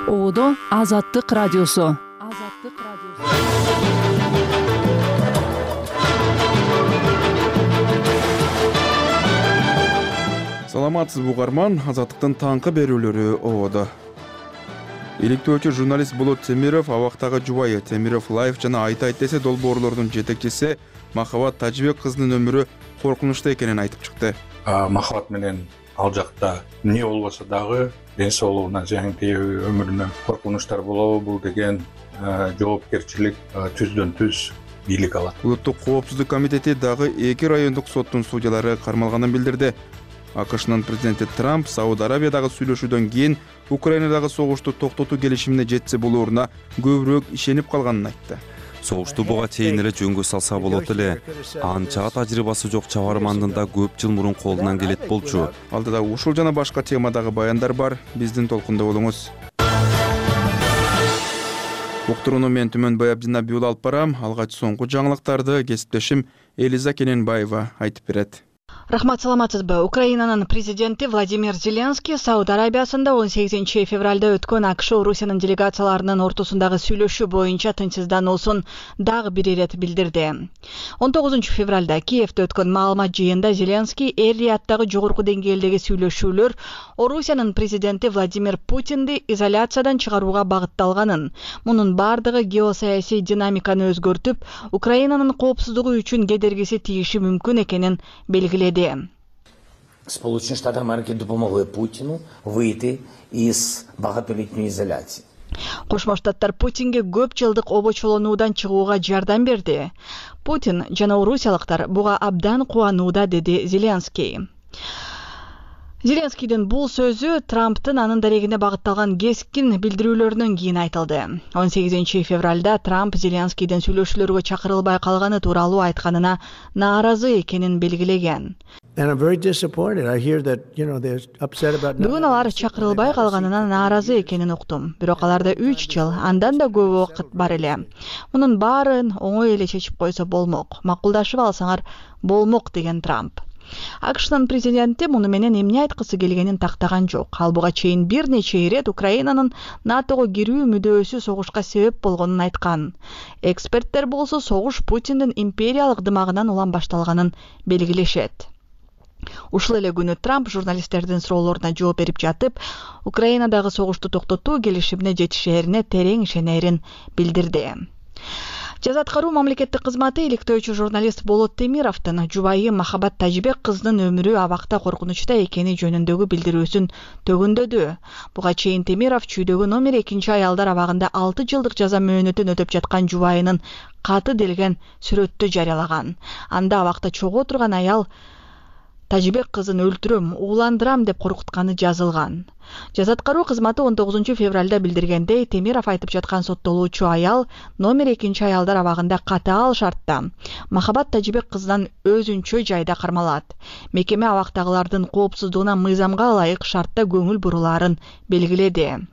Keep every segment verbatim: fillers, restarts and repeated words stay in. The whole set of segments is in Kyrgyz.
Оодо Азаттык радиосу. Азаттык радиосу. Саламатсызбы угарман, Азаттыктын таңкы берүүлөрү оодо. Иликтөөчү журналист Болот Темиров, абактагы жубайы Темиров Лайф жана Айт айт десе долбоорлордун жетекчиси Махабат Тажибек кызынын өмүрү коркунучта экенин айтып чыкты. Махабат менен ал жакта эмне болбосо дагы ден соолугуна зыян тийүү, өмүрүнө коркунучтар болобу, бул деген жоопкерчилик түздөн түз бийлик алат. Улуттук коопсуздук комитети дагы эки райондук соттун судьялары кармалганын билдирди. АКШнын президенти Трамп Сауд Арабиядагы сүйлөшүүдөн кийин Украинадагы согушту токтотуу келишимине жетсе болооруна көбүрөөк ишенип калганын айтты. Согушту буга чейин эле жөнгө салса болот эле. Анча тажрыйбасы жок чабармандын да көп жыл мурун колунан келет болчу. Алдыда ушул жана башка темадагы баяндар бар. Биздин толкунда болуңуз. Уктурууну мен Түмөнбай Абдинабий алып барам. Алгач соңку жаңылыктарды кесиптешим Элиза Кененбаева айтып берет. Рахмат, саламатсызбы. Украинанын президенти Владимир Зеленский Сауд Арабиясында он сегизинчи февралда өткөн АКШ Орусиянын делегацияларынын ортосундагы сүйлөшүү боюнча тынчсыздануусун дагы бир ирет билдирди. он тогузунчу февралда Киевде өткөн маалымат жыйында Зеленский эр-Рияттагы жогорку деңгээлдеги сүйлөшүүлөр Орусиянын президенти Владимир Путинди изоляциядан чыгарууга багытталганын, мунун бардыгы геосаясий динамиканы өзгөртүп, Украинанын коопсуздугу үчүн кедергиси тийиши мүмкүн экенин белгиледи. Сполучені Штати Америки допомогли Путіну вийти із багатолітньої ізоляції. Кошмо Штаттар Путинге көп жылдык обочолонуудан чыгууга жардам берди. Путин жана орусиялыктар буга абдан кубанууда, деди Зеленский. Зеленскийдин бул сөзү Трамптын анын дарегине багытталган кескин билдирүүлөрүнөн кийин айтылды. он сегизинчи февралда Трамп Зеленскийдин сүйлөшүүлөргө чакырылбай калганы тууралуу айтканына нааразы экенин белгилеген. Бүгүн алар чакырылбай калганына нааразы экенин уктум. Бирок аларда үч жыл, андан да көп убакыт бар эле. Мунун баарын оңой эле чечип койсо болмок. Макулдашып алсаңар болмок, деген Трамп. АКШнын президенти муну менен эмне айткысы келгенин тактаган жок. Ал буга чейин бир нече ирет Украинанын НАТОго кирүү мүдөөсү согушка себеп болгонун айткан. Эксперттер болсо согуш Путиндин империялык дымагынан улам башталганын белгилешет. Ушул эле күнү Трамп журналисттердин суроолоруна жооп берип жатып, Украинадагы согушту токтотуу келишимине жетишээрине терең ишенерин билдирди. Жаза аткаруу мамлекеттик кызматы иликтөөчү журналист Болот Темировдун жубайы Махабат Тажибек кызынын өмүрү абакта коркунучта экени жөнүндөгү билдирүүсүн төгүндөдү. Буга чейин Темиров чүйдөгү номер экинчи аялдар абагында алты жылдык жаза мөөнөтүн өтөп жаткан жубайынын каты делген сүрөттү жарыялаган. Анда абакта чогуу турган аял Тажибек кызын өлтүрөм, ууландырам деп коркутканы жазылган. Жаза аткаруу кызматы он тогузунчу февралда билдиргендей, Темиров айтып жаткан соттолуучу аял номер экинчи аялдар абагында катаал шартта Махабат Тажибек кызынан өзүнчө жайда кармалат. Мекеме абактагылардын коопсуздугуна мыйзамга ылайык шартта көңүл бурулаарын белгиледи.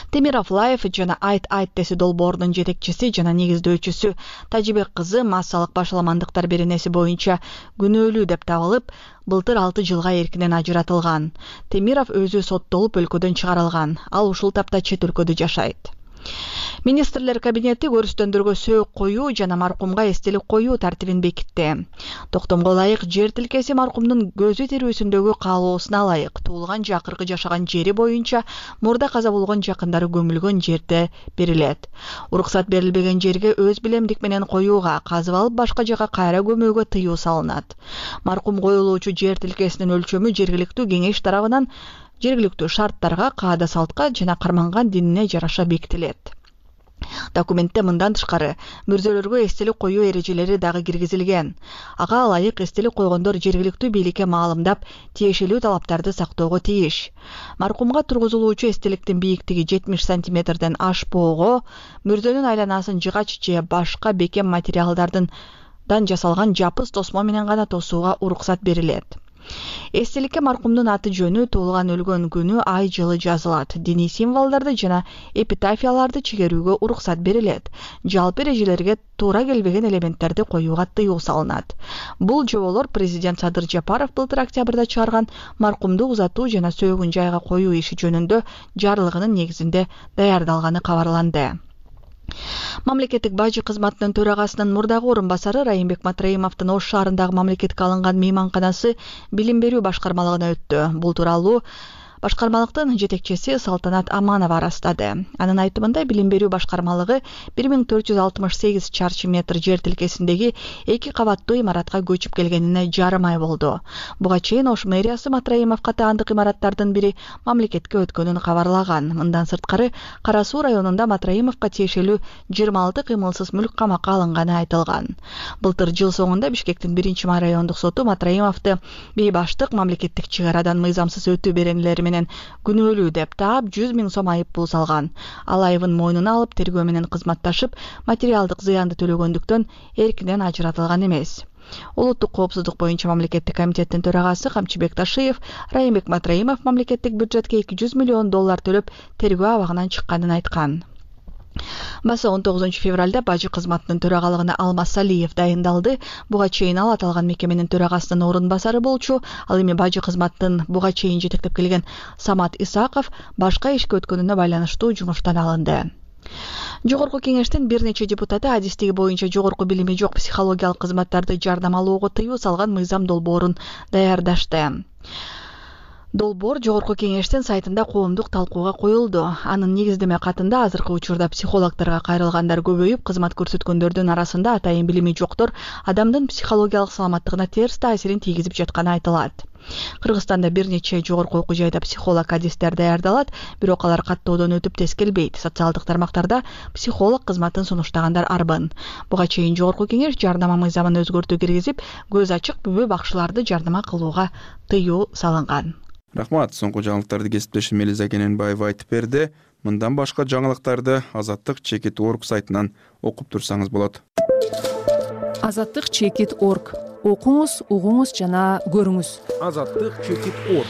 Темиров Лайф жана Айт айт десе долбоорунун жетекчиси жана негиздөөчүсү Тажибек кызы массалык башаламандыктар беренеси боюнча күнөөлүү деп табылып, былтыр алты жылга эркинен ажыратылган. Темиров өзү соттолуп өлкөдөн чыгарылган. Ал ушул тапта чет өлкөдө жашайт. Министрлер кабинети көрүстөндөргө сөөк коюу жана маркумга эстелик коюу тартибин бекитти. Токтомго ылайык жер тилкеси маркумдун көзү тирүүсүндөгү каалоосуна ылайык туулган жакыркы жашаган жери боюнча мурда каза болгон жакындары көмүлгөн жерде берилет. Уруксат берилбеген жерге өз билемдик менен коюуга, казып алып башка жака кайра көмүүгө тыюу салынат. Маркум коюлуучу жер тилкесинин өлчөмү жергиликтүү кеңеш тарабынан жергиликтүү шарттарга, каада салтка жана карманган динине жараша бекитилет. Документте мындан тышкары мүрзөлөргө эстелик коюу эрежелери дагы киргизилген. Ага ылайык эстелик койгондор жергиликтүү бийликке маалымдап, тиешелүү талаптарды сактоого тийиш. Маркумга тургузулуучу эстеликтин бийиктиги жетимиш сантиметрден ашпоого, мүрзөнүн айланасын жыгач же башка бекем материалдардын дан жасалган жапыс тосмо менен гана тосууга уруксат берилет. Эстеликке маркумдун аты жөнү, туулган өлгөн күнү, ай жылы жазылат. Диний символдорду жана эпитафияларды чегерүүгө уруксат берилет. Жалпы эрежелерге туура келбеген элементтерди коюуга тыюу салынат. Бул жоболор президент Садыр Жапаров былтыр октябрда чыгарган маркумду узатуу жана сөөгүн жайга коюу иши жөнүндө жарлыгынын негизинде даярдалганы кабарланды. Мамлекеттик бажы кызматынын төрагасынын мурдагы орун басары Райымбек Матраимовдун Ош шаарындагы мамлекетке алынган мейманканасы билим берүү башкармалыгына өттү. Бул тууралуу башкармалыктын жетекчиси Салтанат Аманова ырастады. Анын айтымында билим берүү башкармалыгы бир миң төрт жүз алтымыш сегиз чарчы метр жер тилкесиндеги эки кабаттуу имаратка көчүп келгенине жарым ай болду. Буга чейин Ош мэриясы Матраимовго таандык имараттардын бири мамлекетке өткөнүн кабарлаган. Мындан сырткары Кара Суу районунда Матраимовго тиешелүү жыйырма алты кыймылсыз мүлк камакка алынганы айтылган. Былтыр жыл соңунда Бишкектин биринчи май райондук соту Матраимовду бейбаштык, мамлекеттик чек арадан мыйзамсыз өтүү беренелери менен күнөөлүү деп таап жүз миң сом айып пул салган. Ал айыбын мойнуна алып, тергөө менен кызматташып, материалдык зыянды төлөгөндүктөн эркинен ажыратылган эмес. Улуттук коопсуздук боюнча мамлекеттик комитеттин төрагасы Камчыбек Ташиев Райымбек Матраимов мамлекеттик бюджетке эки жүз миллион доллар төлөп тергөө абагынан чыкканын айткан. Баса он тогузунчу февралда бажы кызматынын төрагалыгына Алмаз Салиев дайындалды. Буга чейин ал аталган мекеменин төрагасынын орун басары болчу. Ал эми бажы кызматынын буга чейин жетектеп келген Самат Исаков башка ишке өткөнүнө байланыштуу жумуштан алынды. Жогорку кеңештин бир нече депутаты адистиги боюнча жогорку билими жок психологиялык кызматтарды жардам алууга тыюу салган мыйзам долбоорун даярдашты. Долбоор Жогорку кеңештин сайтында коомдук талкууга коюлду. Анын негиздеме катында азыркы учурда психологдорго кайрылгандар көбөйүп, кызмат көрсөткөндөрдүн арасында атайын билими жоктор адамдын психологиялык саламаттыгына терс таасирин тийгизип жатканы айтылат. Кыргызстанда бир нече жогорку окуу жайда психолог адистер даярдалат, бирок алар каттоодон өтүп тез келбейт. Социалдык тармактарда психолог кызматын сунуштагандар арбын. Буга чейин Жогорку кеңеш жардама мыйзамын өзгөртүү киргизип, көз ачык бүбө бакчыларды жардама кылууга тыюу салынган. Рахмат, соңку жаңылыктарды кесиптешим Элиза Кененбаева айтып берди. Мындан башка жаңылыктарды Азаттык чекит точка орг сайтынан окуп турсаңыз болот. Азаттык чекит точка орг. Окуңуз, угуңуз жана көрүңүз. Азаттык чекит точка орг.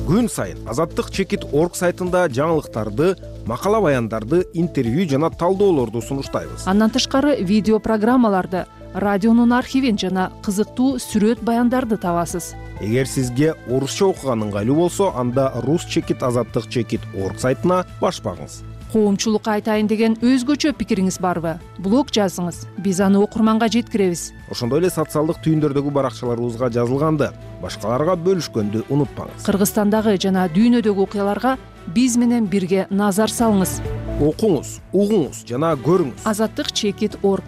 Күн сайын Азаттык чекит точка орг сайтында жаңылыктарды, макала баяндарды, интервью жана талдоолорду сунуштайбыз. Андан тышкары видео программаларды, радионун архивин жана кызыктуу сүрөт баяндарды табасыз. Эгер сизге орусча окуган ыңгайлуу болсо, анда рус чекит азаттык чекит точка орг сайтына баш багыңыз. Коомчулукка айтайын деген өзгөчө пикириңиз барбы? Блог жазыңыз. Биз аны окурманга жеткиребиз. Ошондой эле социалдык түйүндөрдөгү баракчаларыбызга жазылганды, башкаларга бөлүшкөндү унутпаңыз. Кыргызстандагы жана дүйнөдөгү окуяларга биз менен бирге назар салыңыз. Окуңуз, угуңуз жана көрүңүз. Азаттык чекит точка орг.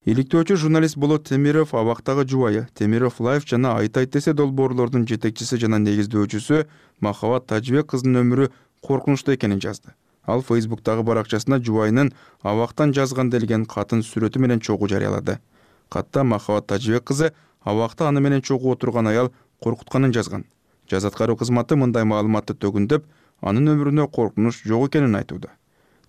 Иликтөөчү журналист Болот Темиров абактагы жубайы, Темиров Лайф жана Айтайт десе долбоорлордун жетекчиси жана негиздөөчүсү Махабат Тажыбек кызынын өмүрү коркунучтуу экенин жазды. Ал Фейсбуктагы баракчасына жубайынын абактан жазган делген катын сүрөтү менен чогуу жарыялады. Катта Махабат Тажыбек кызы абакта аны менен чогуу отурган аял коркутканын жазган. Жаз аткаруу кызматы мындай маалыматты төгүндөп, анын өмүрүнө коркунуч жок экенин айтууда.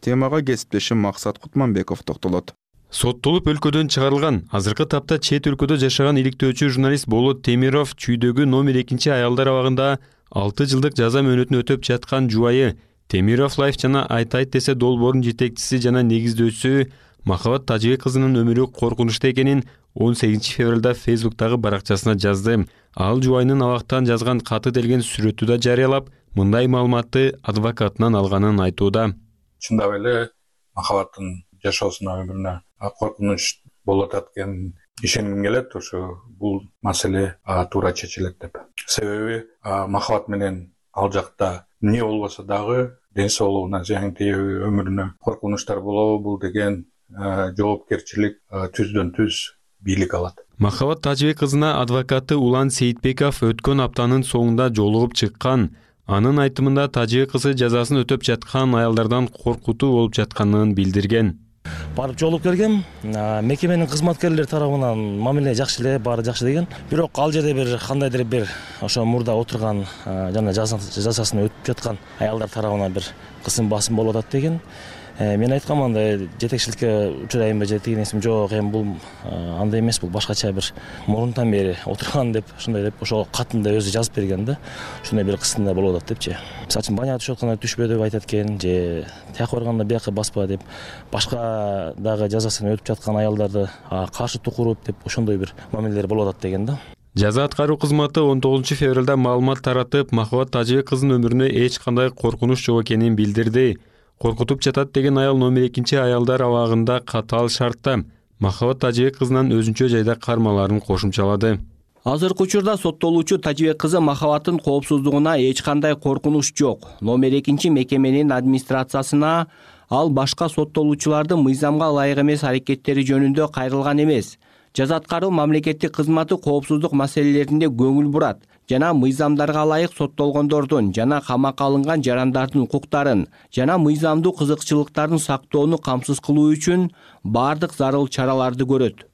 Темага кесиптешим Максат Кутманбеков токтолот. Соттолуп өлкөдөн чыгарылган, азыркы тапта чет өлкөдө жашаган иликтөөчү журналист Болот Темиров чүйдөгү номер экинчи аялдар абагында алты жылдык жаза мөөнөтүн өтөп жаткан жубайы, Темиров Лайф жана Айтайт десе долбоордун жетекчиси жана негиздөөчүсү Махабат Тажыбек кызынын өмүрү коркунучтуу экенин он сегизинчи февралда Фейсбуктагы баракчасына жазды. Ал жубайынын абактан жазган каты делген сүрөтү да жарыялап, мындай маалыматты адвокатынан алганын айтууда. Чындап эле Махабаттын жашоосуна, өмүрүнө коркунуч болуп аткан ишенгим келет. Ошо бул маселе туура чечилет деп. Себеби Махабат менен ал жакта эмне болбосо дагы ден соолугуна зыян тийеби, өмүрүнө коркунучтар болобу, бул деген жоопкерчилик түздөн түз бийлик алат. Махабат Тажыбек кызына адвокаты Улан Сейитбеков өткөн аптанын соңунда жолугуп чыккан. Анын айтымында Тажыбек кызы жазасын өтөп жаткан аялдардан коркутуу болуп жатканын билдирген. Барып жолуп келгем, мекеменин кызматкерлери тарабынан мамиле жакшы эле, баары жакшы деген. Бирок ал жерде бир кандайдыр бир ошо мурда отурган жана жазасын өтүп жаткан аялдар тарабынан бир кысым басым болуп атат деген. Мен айткам андай жетекчиликке учурайынбы же тиги нерсем жок, эми бул андай эмес, бул башкача бир мурунтан бери отурган деп ушундай деп ошол катында өзү жазып берген да. Ушундай бир кысында болуп атат депчи. Мисалы үчүн баняга түшүп атканда түшпө деп айтат экен, же тияка барганда бияка баспа деп, башка дагы жазасын өтүп жаткан аялдарды каршы тукуруп деп ошондой бир мамилелер болуп атат деген да. Жаза аткаруу кызматы он тогузунчу февралда маалымат таратып, Махабат Тажыбек кызынын өмүрүнө эч кандай коркунуч жок экенин билдирди. Коркутуп жатат деген аял номер экинчи аялдар абагында катаал шартта Махабат Тажыбек кызынан өзүнчө жайда кармаларын кошумчалады. Азыркы учурда соттолуучу Тажыбек кызы Махабаттын коопсуздугуна эч кандай коркунуч жок. Номер экинчи мекеменин администрациясына ал башка соттолуучулардын мыйзамга ылайык эмес аракеттери жөнүндө кайрылган эмес. Жаза аткаруу мамлекеттик кызматы коопсуздук маселелерине көңүл бурат жана мыйзамдарга ылайык соттолгондордун жана камакка алынган жарандардын укуктарын жана мыйзамдуу кызыкчылыктарын сактоону камсыз кылуу үчүн бардык зарыл чараларды көрөт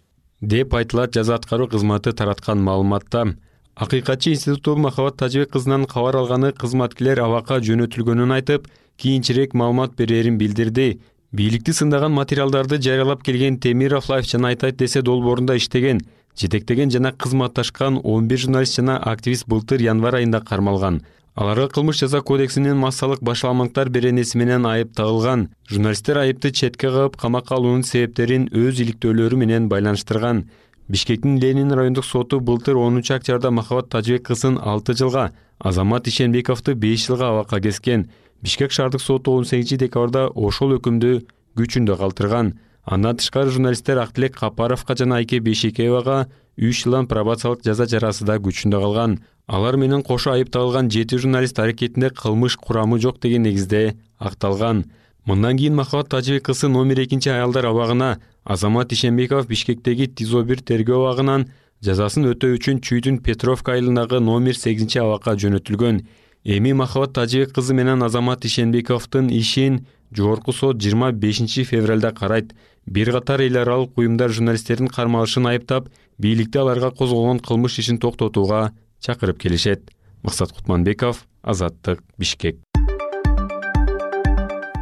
деп айтылат жаза аткаруу кызматы тараткан маалыматта. Акыйкатчы институту Махабат Тажыбек кызынан кабар алганы кызматкерлер абакка жөнөтүлгөнүн айтып, кийинчерээк маалымат берерин билдирди. Бийликти сындаган материалдарды жарыялап келген Темиров Лайф жана Айтайт десе долбоорунда иштеген, жетектеген жана кызматташкан он бир журналист жана активист былтыр январь айында кармалган. Аларга кылмыш жаза кодексинин массалык башаламактар беренеси менен айып тагылган. Журналисттер айыпты четке кагып, камакка алуунун себептерин өз иликтөөлөрү менен байланыштырган. Бишкектин Ленин райондук соту былтыр онунчу октябрда Махабат Тажыбек кызын алты жылга, Азамат Ишенбековду беш жылга абакка кескен. Бишкек шаардык соту он сегизинчи декабрда ошол өкүмдү күчүндө калтырган. Андан тышкары журналисттер Актилек Капаровго жана Айке Бейшекеевага үч жылдан пробациялык жаза жарасы да күчүндө калган. Алар менен кошо айып тагылган жети журналист аракетинде кылмыш курамы жок деген негизде акталган. Мындан кийин Махабат Тажыбек кызы номер экинчи аялдар абагына, Азамат Ишенбеков Бишкектеги Тизо бир тергөө абагынан жазасын өтөө үчүн Чүйдүн Петровка айылындагы номер сегизинчи абакка жөнөтүлгөн. Эми Махабат Тажыбек кызы менен Азамат Ишенбековдун ишин жогорку сот жыйырма бешинчи февралда карайт. Бир катар эл аралык уюмдар журналисттердин кармалышын айыптап, бийликти аларга козголгон кылмыш ишин токтотууга чакырып келишет. Максат Кутманбеков, Азаттык, Бишкек.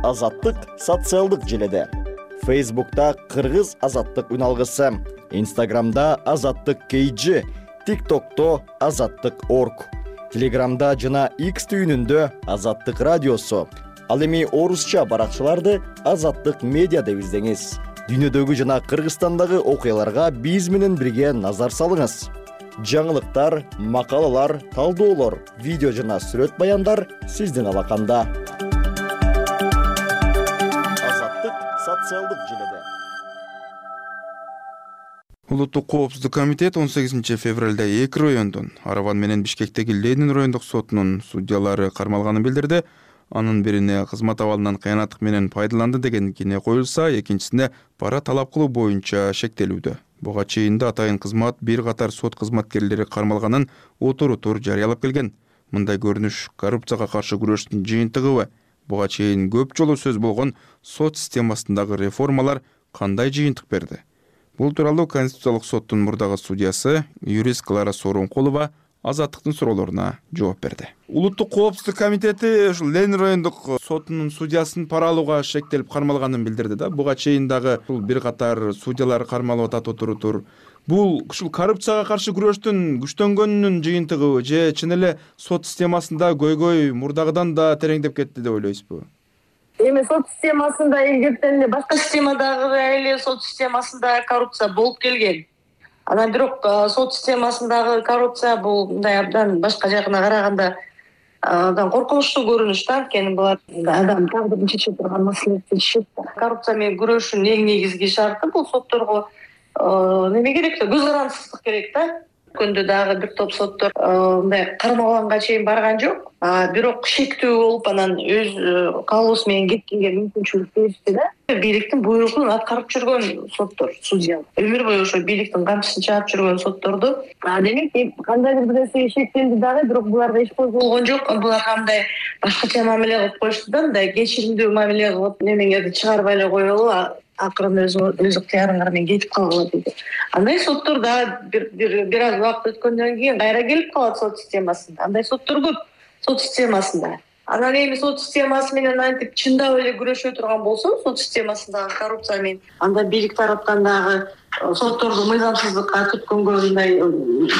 Азаттык социалдык желеде. Фейсбукта Кыргыз Азаттык үналгысы, Инстаграмда Азаттык кей джи, ТикТокто Азаттык точка орг, Телеграмда жана X түйүнүндө Азаттык радиосу. Ал эми орусча баракчаларды Азаттык медиа деп издеңиз. Дүйнөдөгү жана Кыргызстандагы окуяларга биз менен бирге назар салыңыз. Жаңылыктар, макалалар, талдоолор, видео жана сүрөт баяндар сиздин алаканда. Азаттык социалдык желеде. Улуттук коопсуздук комитет он сегизинчи февралда эки райондун, Араван менен Бишкектеги Ленин райондук сотунун судьялары кармалганын билдирди. Анын бирине кызмат абалынан кыянаттык менен пайдаланды деген кине коюлса, экинчисине пара талап кылуу боюнча шектелүүдө. Буга чейин да атайын кызмат бир катар сот кызматкерлери кармалганын отурутур жарыялап келген. Мындай көрүнүш коррупцияга каршы күрөштүн жыйынтыгыбы? Буга чейин көп жолу сөз болгон сот системасындагы реформалар кандай жыйынтык берди? Бул тууралуу Конституциялык соттун мурдагы судьясы юрист Клара Сооронкулова Азаттыктын суроолоруна жооп берди. Улуттук коопсуздук комитети ушул Ленин райондук сотунун судьясын пара алууга шектелип кармалганын билдирди да. Буга чейин дагы бул бир катар судьялар кармалып атат отурутур. Бул ушул коррупцияга каршы күрөштүн күчтөнгөнүнүн жыйынтыгыбы же чын эле сот системасында көйгөй мурдагыдан да тереңдеп кетти деп ойлойсузбу? Эми сот системасында илгертен эле башка системадагы эле сот системасында коррупция болуп келген. Анан бирок сот системасындагы коррупция бул мындай абдан башка жагына караганда абдан коркунучтуу көрүнүш да. Анткени булар адам тагдырын чече турган маселелерди чечишет. Коррупция менен күрөшүүнүн эң негизги шарты бул сотторго неме керек да, көз карандысыздык керек да. Өткөндө дагы бир топ соттор мындай кармалганга чейин барган жок. Бирок шектүү болуп анан өз каалоосу менен кеткенге мүмкүнчүлүк беришти да. Бийликтин буйругун аткарып жүргөн соттор, судья. Өмүр бою ошо бийликтин камчысын чаап жүргөн сотторду. Демек, кандайдыр бир нерсеге шектелди дагы, бирок буларга эч козголгон жок. Буларга мындай башкача мамиле кылып коюшту да, мындай кечиримдүү мамиле кылып, немеңерди чыгарбай эле коелу, акырын өзү өз ыктыярыңар менен кетип калгыла дейт. Андай соттор дагы бир бир аз убакыт өткөндөн кийин кайра келип калат сот системасында. Андай соттор көп сот системасында. Анан эми сот системасы менен антип чындап эле күрөшө турган болсо, сот системасындагы коррупция менен, анда бийлик тараптан дагы сотторду мыйзамсыздыкка түрткөнгө мындай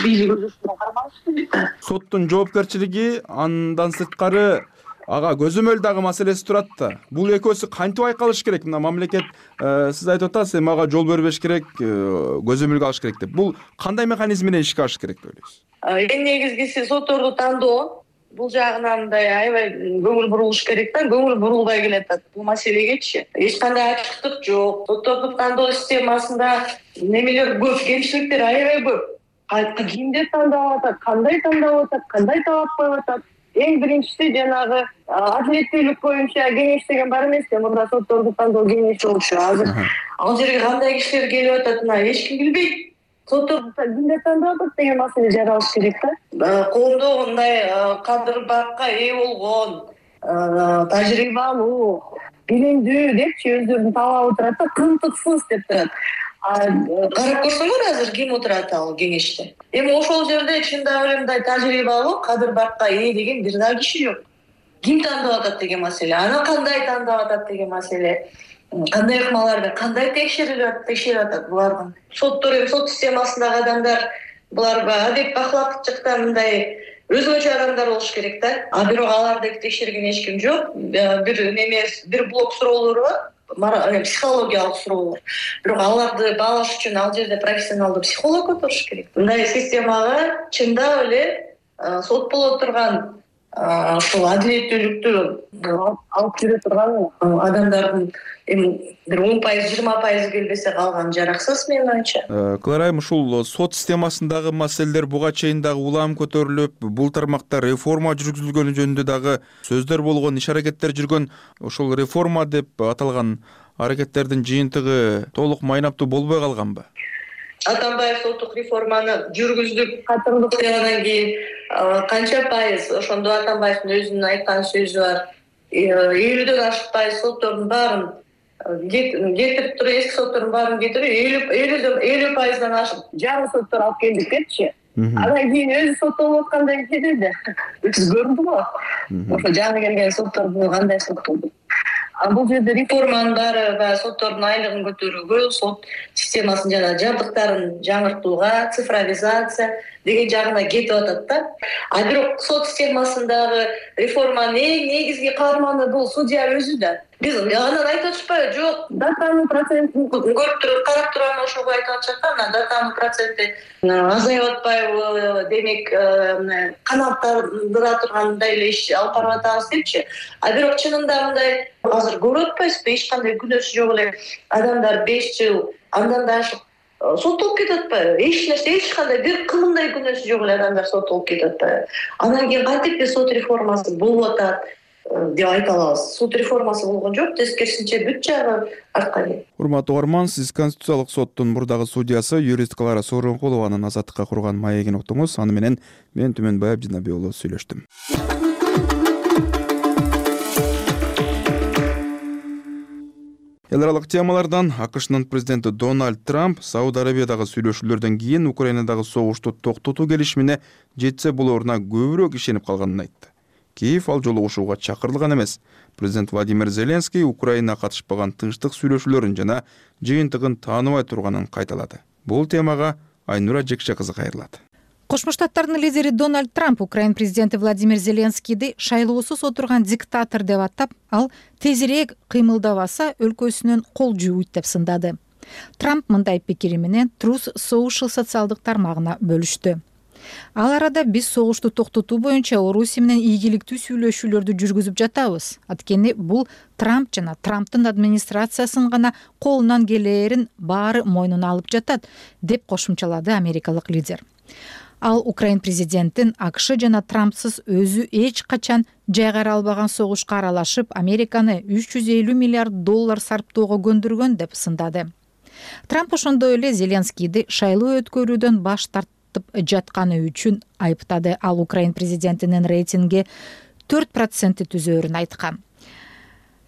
бийлик өзүнүн кармалышы керек да. Соттун жоопкерчилиги андан сырткары ага көзөмөл дагы маселеси турат да. Бул экөөсү кантип айкалыш керек? Мына мамлекет сиз айтып атасыз, эми ага жол бербеш керек, көзөмөлгө алыш керек деп. Бул кандай механизм менен ишке ашыш керек деп ойлойсуз? Эң негизгиси сотторду тандоо. Бул жагынан мындай аябай көңүл бурулуш керек да, көңүл бурулбай келатат бул маселегечи. Эч кандай ачыктык жок. Сотторду тандоо системасында немелер көп, кемчиликтер аябай көп. Кимди тандап атат, кандай тандап атат, кандай талап коюп атат. Эң биринчиси жанагы адилеттүүлүк боюнча кеңеш деген бар эмеспи? Мурда сотторду тандоо кеңеши болчу. Азыр ал жерге кандай кишилер келип атат, мына эч ким билбейт. Сотторду кимдер тандап атат деген маселе жаралыш керек да. Коомдо мындай кадыр бакка ээ болгон, тажрыйбалуу, билимдүү депчи өздөрүн талабы турат да, кымтыксыз деп турат. Карап көрсөңөр азыр ким отурат ал кеңеште. Эми ошол жерде чындап эле мындай тажрыйбалуу, кадыр бакка ээ деген бир да киши жок. Ким тандап атат деген маселе, аны кандай тандап атат деген маселе. Кандай ыкмаларды, кандай текшерилип текшерип атат булардын. Соттор эми сот системасындагы адамдар булар адеп бакылакчылыкта мындай өзгөчө адамдар болуш керек да. А бирок аларды текшерген эч ким жок. Бир неме, бир блок суроолору бар, психологиялык суроолор. Бирок аларды баалаш үчүн ал жерде профессионалдуу психолог отуруш керек. Мындай системага чындап эле сот боло турган ушул адилеттүүлүктү алып жүрө турган адамдардын эми бир он пайыз, жыйырма пайыз келбесе калганы жараксыз менин оюмча. Клара айым, ушул сот системасындагы маселелер буга чейин дагы улам көтөрүлүп, бул тармакта реформа жүргүзүлгөнү жөнүндө дагы сөздөр болгон, иш аракеттер жүргөн. Ошол реформа деп аталган аракеттердин жыйынтыгы толук майнаптуу болбой калганбы? Атамбаев соттук реформаны жүргүздүк, катырдык андан кийин канча пайыз, ошондо Атамбаевдин өзүнүн айткан сөзү бар. элүүдөн ашык пайыз соттордун баарын кетирип туруп, эски соттордун баарын кетирип, элүү пайыздан ашык жаңы соттор алып келдик депчи. Андан кийин өзү соттолуп аткандай кетеди. Сиз көрдүңүзбү? Ошо жаңы келген соттордун кандай сот болду? А бул жерде реформанын баары баягы соттордун айлыгын көтөрүүгө, сот системасын жана жабдыктарын жаңыртууга, цифровизация деген жагына кетип атат да. А бирок сот системасындагы реформанын эң негизги каарманы бул судья өзү да. Биз анан айтып атышпайбы? Жок, датанын процентин көрүп туруп, карап туруп анан ошого айтып атышат да, анан датанын проценти азайып атпайбы, демек каналдардыра тургандай эле иш алып барып атабыз депчи. А бирок чынында мындай азыр көрүп атпайсызбы, эч кандай күнөөсү жок эле адамдар беш жыл андан да ашык соттолуп кетип атпайбы? Эч нерсе, эч кандай бир кылымдай күнөөсү жок эле адамдар соттолуп кетип атпайбы? Андан кийин кантип сот реформасы болуп атат деп айта алабыз? Сот реформасы болгон жок, тескерисинче бүт жагы артка кетти. Урматтуу угарман, сиз Конституциялык соттун мурдагы судьясы юрист Клара Сооронкулованын азаттыкка курган маегин уктуңуз. Аны менен мен Түмөнбай Абдинабий уулу сүйлөштүм. Эл аралык темалардан АКШнын президенти Дональд Трамп Сауд Арабиядагы сүйлөшүүлөрдөн кийин Украинадагы согушту токтотуу келишимине жетсе болоруна көбүрөөк ишенип калганын айтты. Киев ал жолугушууга чакырылган эмес. Президент Владимир Зеленский Украина катышпаган тынчтык сүйлөшүүлөрүн жана жыйынтыгын тааныбай турганын кайталады. Бул темага Айнура Жекше кызы кайрылат. Кошмо Штаттардын лидери Дональд Трамп Украин президенти Владимир Зеленскийди шайлоосуз отурган диктатор деп атап, ал тезирээк кыймылдабаса өлкөсүнөн кол жууйт деп сындады. Трамп мындай пикири менен Truth Social социалдык тармагына бөлүштү. Ал арада биз согушту токтотуу боюнча Орусия менен ийгиликтүү сүйлөшүүлөрдү жүргүзүп жатабыз. Анткени бул Трамп жана Трамптын администрациясынын гана колунан келээрин баары мойнуна алып жатат, деп кошумчалады америкалык лидер. Ал Украин президентин АКШ жана Трампсыз өзү эч качан жайгара албаган согушка аралашып, Американы үч жүз элүү миллиард доллар сарптоого көндүргөн деп сындады. Трамп ошондой эле Зеленскийди шайлоо өткөрүүдөн баш тартып жатканы үчүн айыптады. Ал Украин президентинин рейтинги төрт процентти түзөөрүн айткан.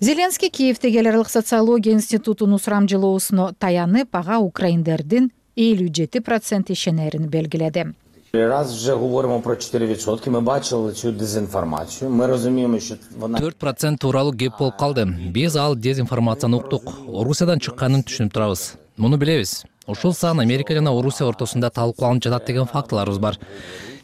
Зеленский Киевдеги эл аралык социология институтунун сурамжылоосуна таянып, ага украиндердин элүү жети процент ишенерин белгиледи. Раз вже говоримо про чотири відсотки, ми бачили цю дезінформацію. Ми розуміємо, що вона төрт процент тууралуу кеп болуп калды. Биз ал дезинформацияны уктук. Орусиядан чыкканын түшүнүп турабыз. Муну билебиз. Ушул сан Америка жана Орусия ортосунда талкууланып жатат деген фактыларыбыз бар.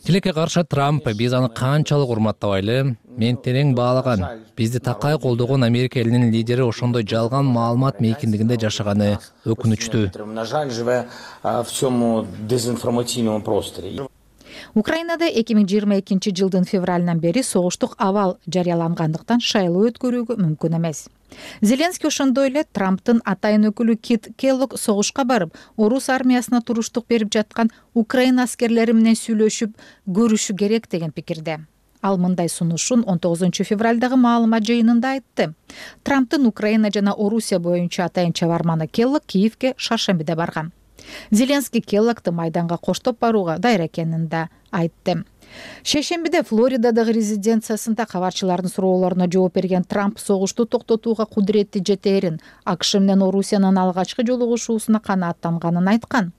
Тилекке каршы Трамп биз аны канчалык урматтабайлы, мен терең баалаган. Бизди такай колдогон Америка элинин лидери ошондой жалган маалымат мейкиндигинде жашаганы өкүнүчтүү. на жаль живе в цьому дезінформаційному просторі. Украинада эки миң жыйырма экинчи жылдын февралынан бери согуштук абал жарыялангандыктан шайлоо өткөрүүгө мүмкүн эмес. Зеленский ошондой эле Трамптын атайын өкүлү Кит Келлог согушка барып, орус армиясына туруштук берип жаткан Украина аскерлери менен сүйлөшүп көрүшү керек деген пикирде. Ал мындай сунушун он тогузунчу февралдагы маалымат жыйынында айтты. Трамптын Украина жана Орусия боюнча атайын чабарманы Келлог Киевге шаршембиде барган. Зеленский Келлогду майданга коштоп барууга дайыр экенин да айтты. Шейшембиде Флоридадагы резиденциясында кабарчылардын суроолоруна жооп берген Трамп согушту токтотууга кудуретти жетээрин, АКШ менен Орусиянын алгачкы жолугушуусуна канааттанганын айткан.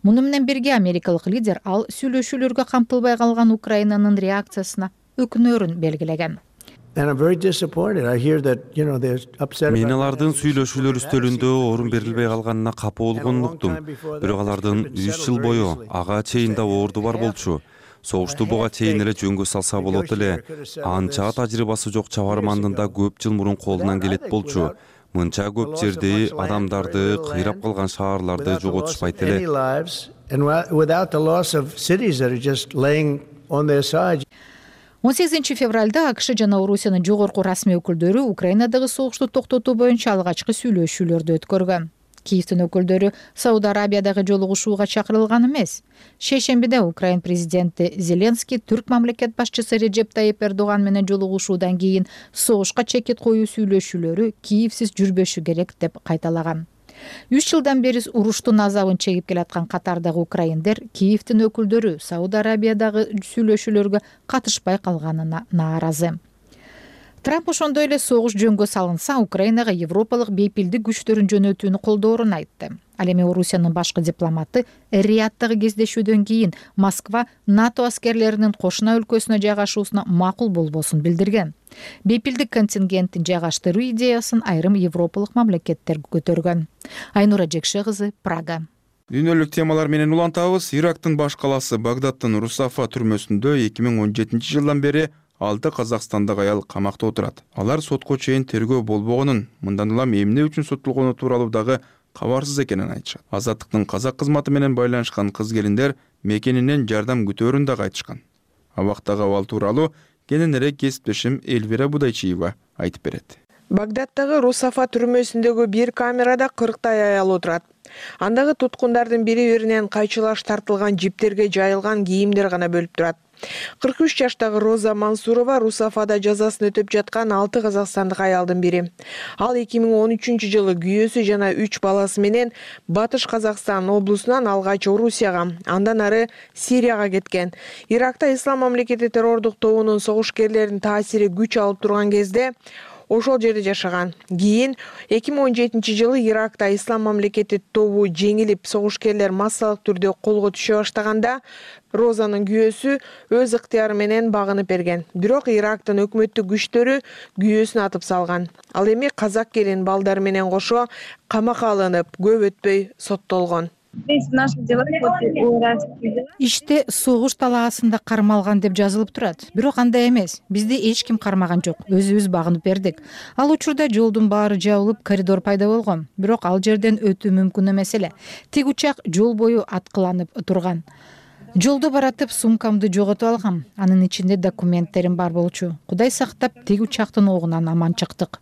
Муну менен бирге америкалык лидер ал сүйлөшүүлөргө камтылбай калган Украинанын реакциясына өкүнөрүн белгилеген. Мен алардын сүйлөшүүлөр үстөлүндө орун берилбей калганына капа болгонун уктум. Бирок алардын үч жыл бою ага чейин да орду бар болчу. Согушту буга чейин эле жөнгө салса болот эле. Анча тажрыйбасы жок чабармандын да көп жыл мурун колунан келет болчу. Мынча көп жерди, адамдарды, кыйрап калган шаарларды жоготушпайт эле. он сегизинчи февралда АКШ жана Орусиянын жогорку расмий өкүлдөрү Украинадагы согушту токтотуу боюнча алгачкы сүйлөшүүлөрдү өткөргөн. Киевдин өкүлдөрү Сауд Арабиядагы жолугушууга чакырылган эмес. Шейшембиде Украин президенти Зеленский түрк мамлекет башчысы Реджеп Тайип Эрдоган менен жолугушуудан кийин согушка чекит коюу сүйлөшүүлөрү Киевсиз жүрбөшү керек деп кайталаган. Үч жылдан бери уруштун азабын чегип келаткан катардагы украиндер Киевдин өкүлдөрү Сауд Арабиядагы сүйлөшүүлөргө катышпай калганына нааразы. Трамп ошондой эле согуш жөнгө салынса, Украинага европалык бейпилдик күчтөрүн жөнөтүүнү колдоорун айтты. Ал эми Орусиянын башкы дипломаты Риядтагы кездешүүдөн кийин Москва НАТО аскерлеринин кошуна өлкөсүнө жайгашуусуна макул болбосун билдирген. Бейпилдик контингенттин жайгаштыруу идеясын айрым европалык мамлекеттер көтөргөн. Айнура Жекше кызы, Прага. Дүйнөлүк темалар менен улантабыз. Ирактын баш калаасы Багдадтын Русафа түрмөсүндө эки миң он жетинчи жылдан бери алты казакстандык аял камакта отурат. Алар сотко чейин тергөө болбогонун, мындан улам эмне үчүн соттолгону тууралуу дагы кабарсыз экенин айтышат. Азаттыктын казак кызматы менен байланышкан кыз-келиндер мекенинен жардам күтөөрүн дагы айтышкан. Абактагы абал тууралуу кененирээк кесиптешим Эльвира Будайчиева айтып берет. Багдадтагы Русафа түрмөсүндөгү бир камерада кырктай аял отурат. Андагы туткундардын бири-биринен кайчылаш тартылган жиптерге жайылган кийимдер гана бөлүп турат. кырк үч жаштагы Роза Мансурова Русафада жазасын өтөп жаткан алты казакстандык аялдын бири. Ал эки миң он үчүнчү жылы күйөөсү жана үч баласы менен Батыш Казакстан облусунан алгач Орусияга, андан ары Сирияга кеткен. Иракта Ислам мамлекети террордук тобунун согушкерлеринин таасири күч алып турган кезде ошол жерде жашаган. Кийин эки миң он жетинчи жылы Иракта Ислам мамлекети тобу жеңилип, согушкерлер массалык түрдө колго түшө баштаганда Розанын күйөөсү өз ыктыяры менен багынып берген. Бирок Ирактын өкмөттүк күчтөрү күйөөсүн атып салган. Ал эми казак келин балдары менен кошо камакка алынып, көп өтпөй соттолгон. Иште согуш талаасында кармалган деп жазылып турат. Бирок андай эмес. Бизди эч ким кармаган жок. Өзүбүз багынып бердик. Ал учурда жолдун баары жабылып, коридор пайда болгон. Бирок ал жерден өтүү мүмкүн эмес эле. Тик учак жол бою аткыланып турган. Жолдо баратып сумкамды жоготуп алгам. Анын ичинде документтерим бар болчу. Кудай сактап, тик учактын огунан аман чыктык.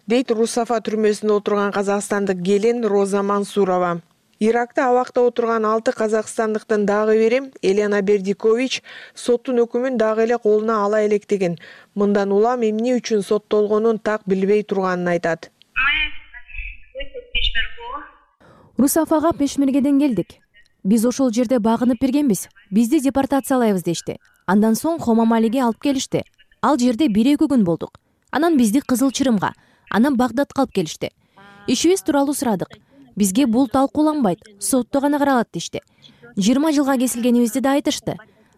Дейт Русафа түрмөсүндө отурган казакстандык келин Роза Мансурова. Иракта абакта отурган алты казакстандыктын дагы бири Елена Бердикович соттун өкүмүн дагы эле колуна ала электигин, мындан улам эмне үчүн соттолгонун так билбей турганын айтат. Русафага Пешмергеден келдик. Биз ошол жерде багынып бергенбиз. Бизди депортациялайбыз дешти. Андан соң Хомамалиге алып келишти. Ал жерде бир-эки күн болдук. Анан бизди Кызыл Чырымга, анан Багдадка алып келишти. Ишибиз тууралуу сурадык. Бизге бул талкууланбайт, сотто гана каралат дешти. жыйырма жылга кесилгенибизди да айтышты.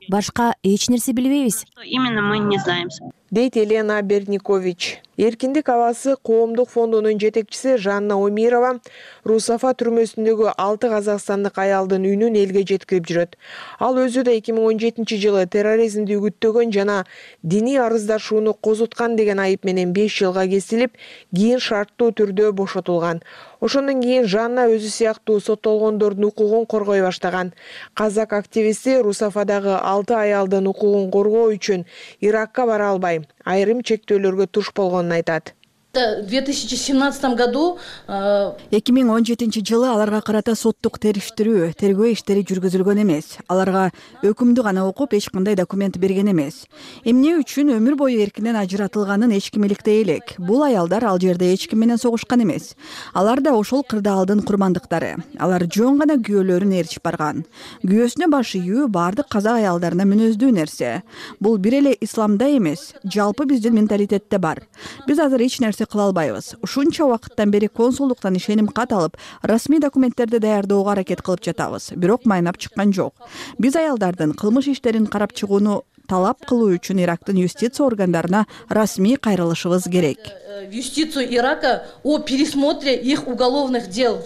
Башка эч нерсе билбейбиз. Именно мы не знаем. Дейт Елена Берникович. Эркиндик абасы коомдук фондунун жетекчиси Жанна Омирова Русафа түрмөсүндөгү алты казакстандык аялдын үнүн элге жеткирип жүрөт. Ал өзү да эки миң он жетинчи жылы терроризмди үгүттөгөн жана диний арыздашууну козуткан деген айып менен беш жылга кесилип, кийин шарттуу түрдө бошотулган. Ошондон кийин Жанна өзү сыяктуу соттолгондордун укугун коргой баштаган. Казак активисти Русафадагы алты аялдын укугун коргоо үчүн Иракка бара албай, айрым чектөөлөргө туш болгонун айтат. В две тысячи семнадцатом году эки миң он жетинчи жылы аларга карата соттук териштирүү, тергөө иштери жүргүзүлгөн эмес. Аларга өкүмдү гана окуп, эч кандай документ берген эмес. Эмне үчүн өмүр бою эркинен ажыратылганын эч ким иликтей элек. Бул аялдар ал жерде эч ким менен согушкан эмес. Алар да ошол кырдаалдын курмандыктары. Алар жөн гана күйөөлөрүн ээрчип барган. Күйөөсүнө баш ийүү бардык казак аялдарына мүнөздүү нерсе. Бул бир эле исламда эмес, жалпы биздин менталитетте бар. Биз азыр эч нерсе кыла албайбыз. Ушунча убакыттан бери консулдуктан ишеним кат алып, расмий документтерди даярдоого аракет кылып жатабыз. Бирок майнап чыккан жок. Биз аялдардын кылмыш иштерин карап чыгууну талап кылуу үчүн Ирактын юстиция органдарына расмий кайрылышыбыз керек. В юстицию Ирака о пересмотре их уголовных дел.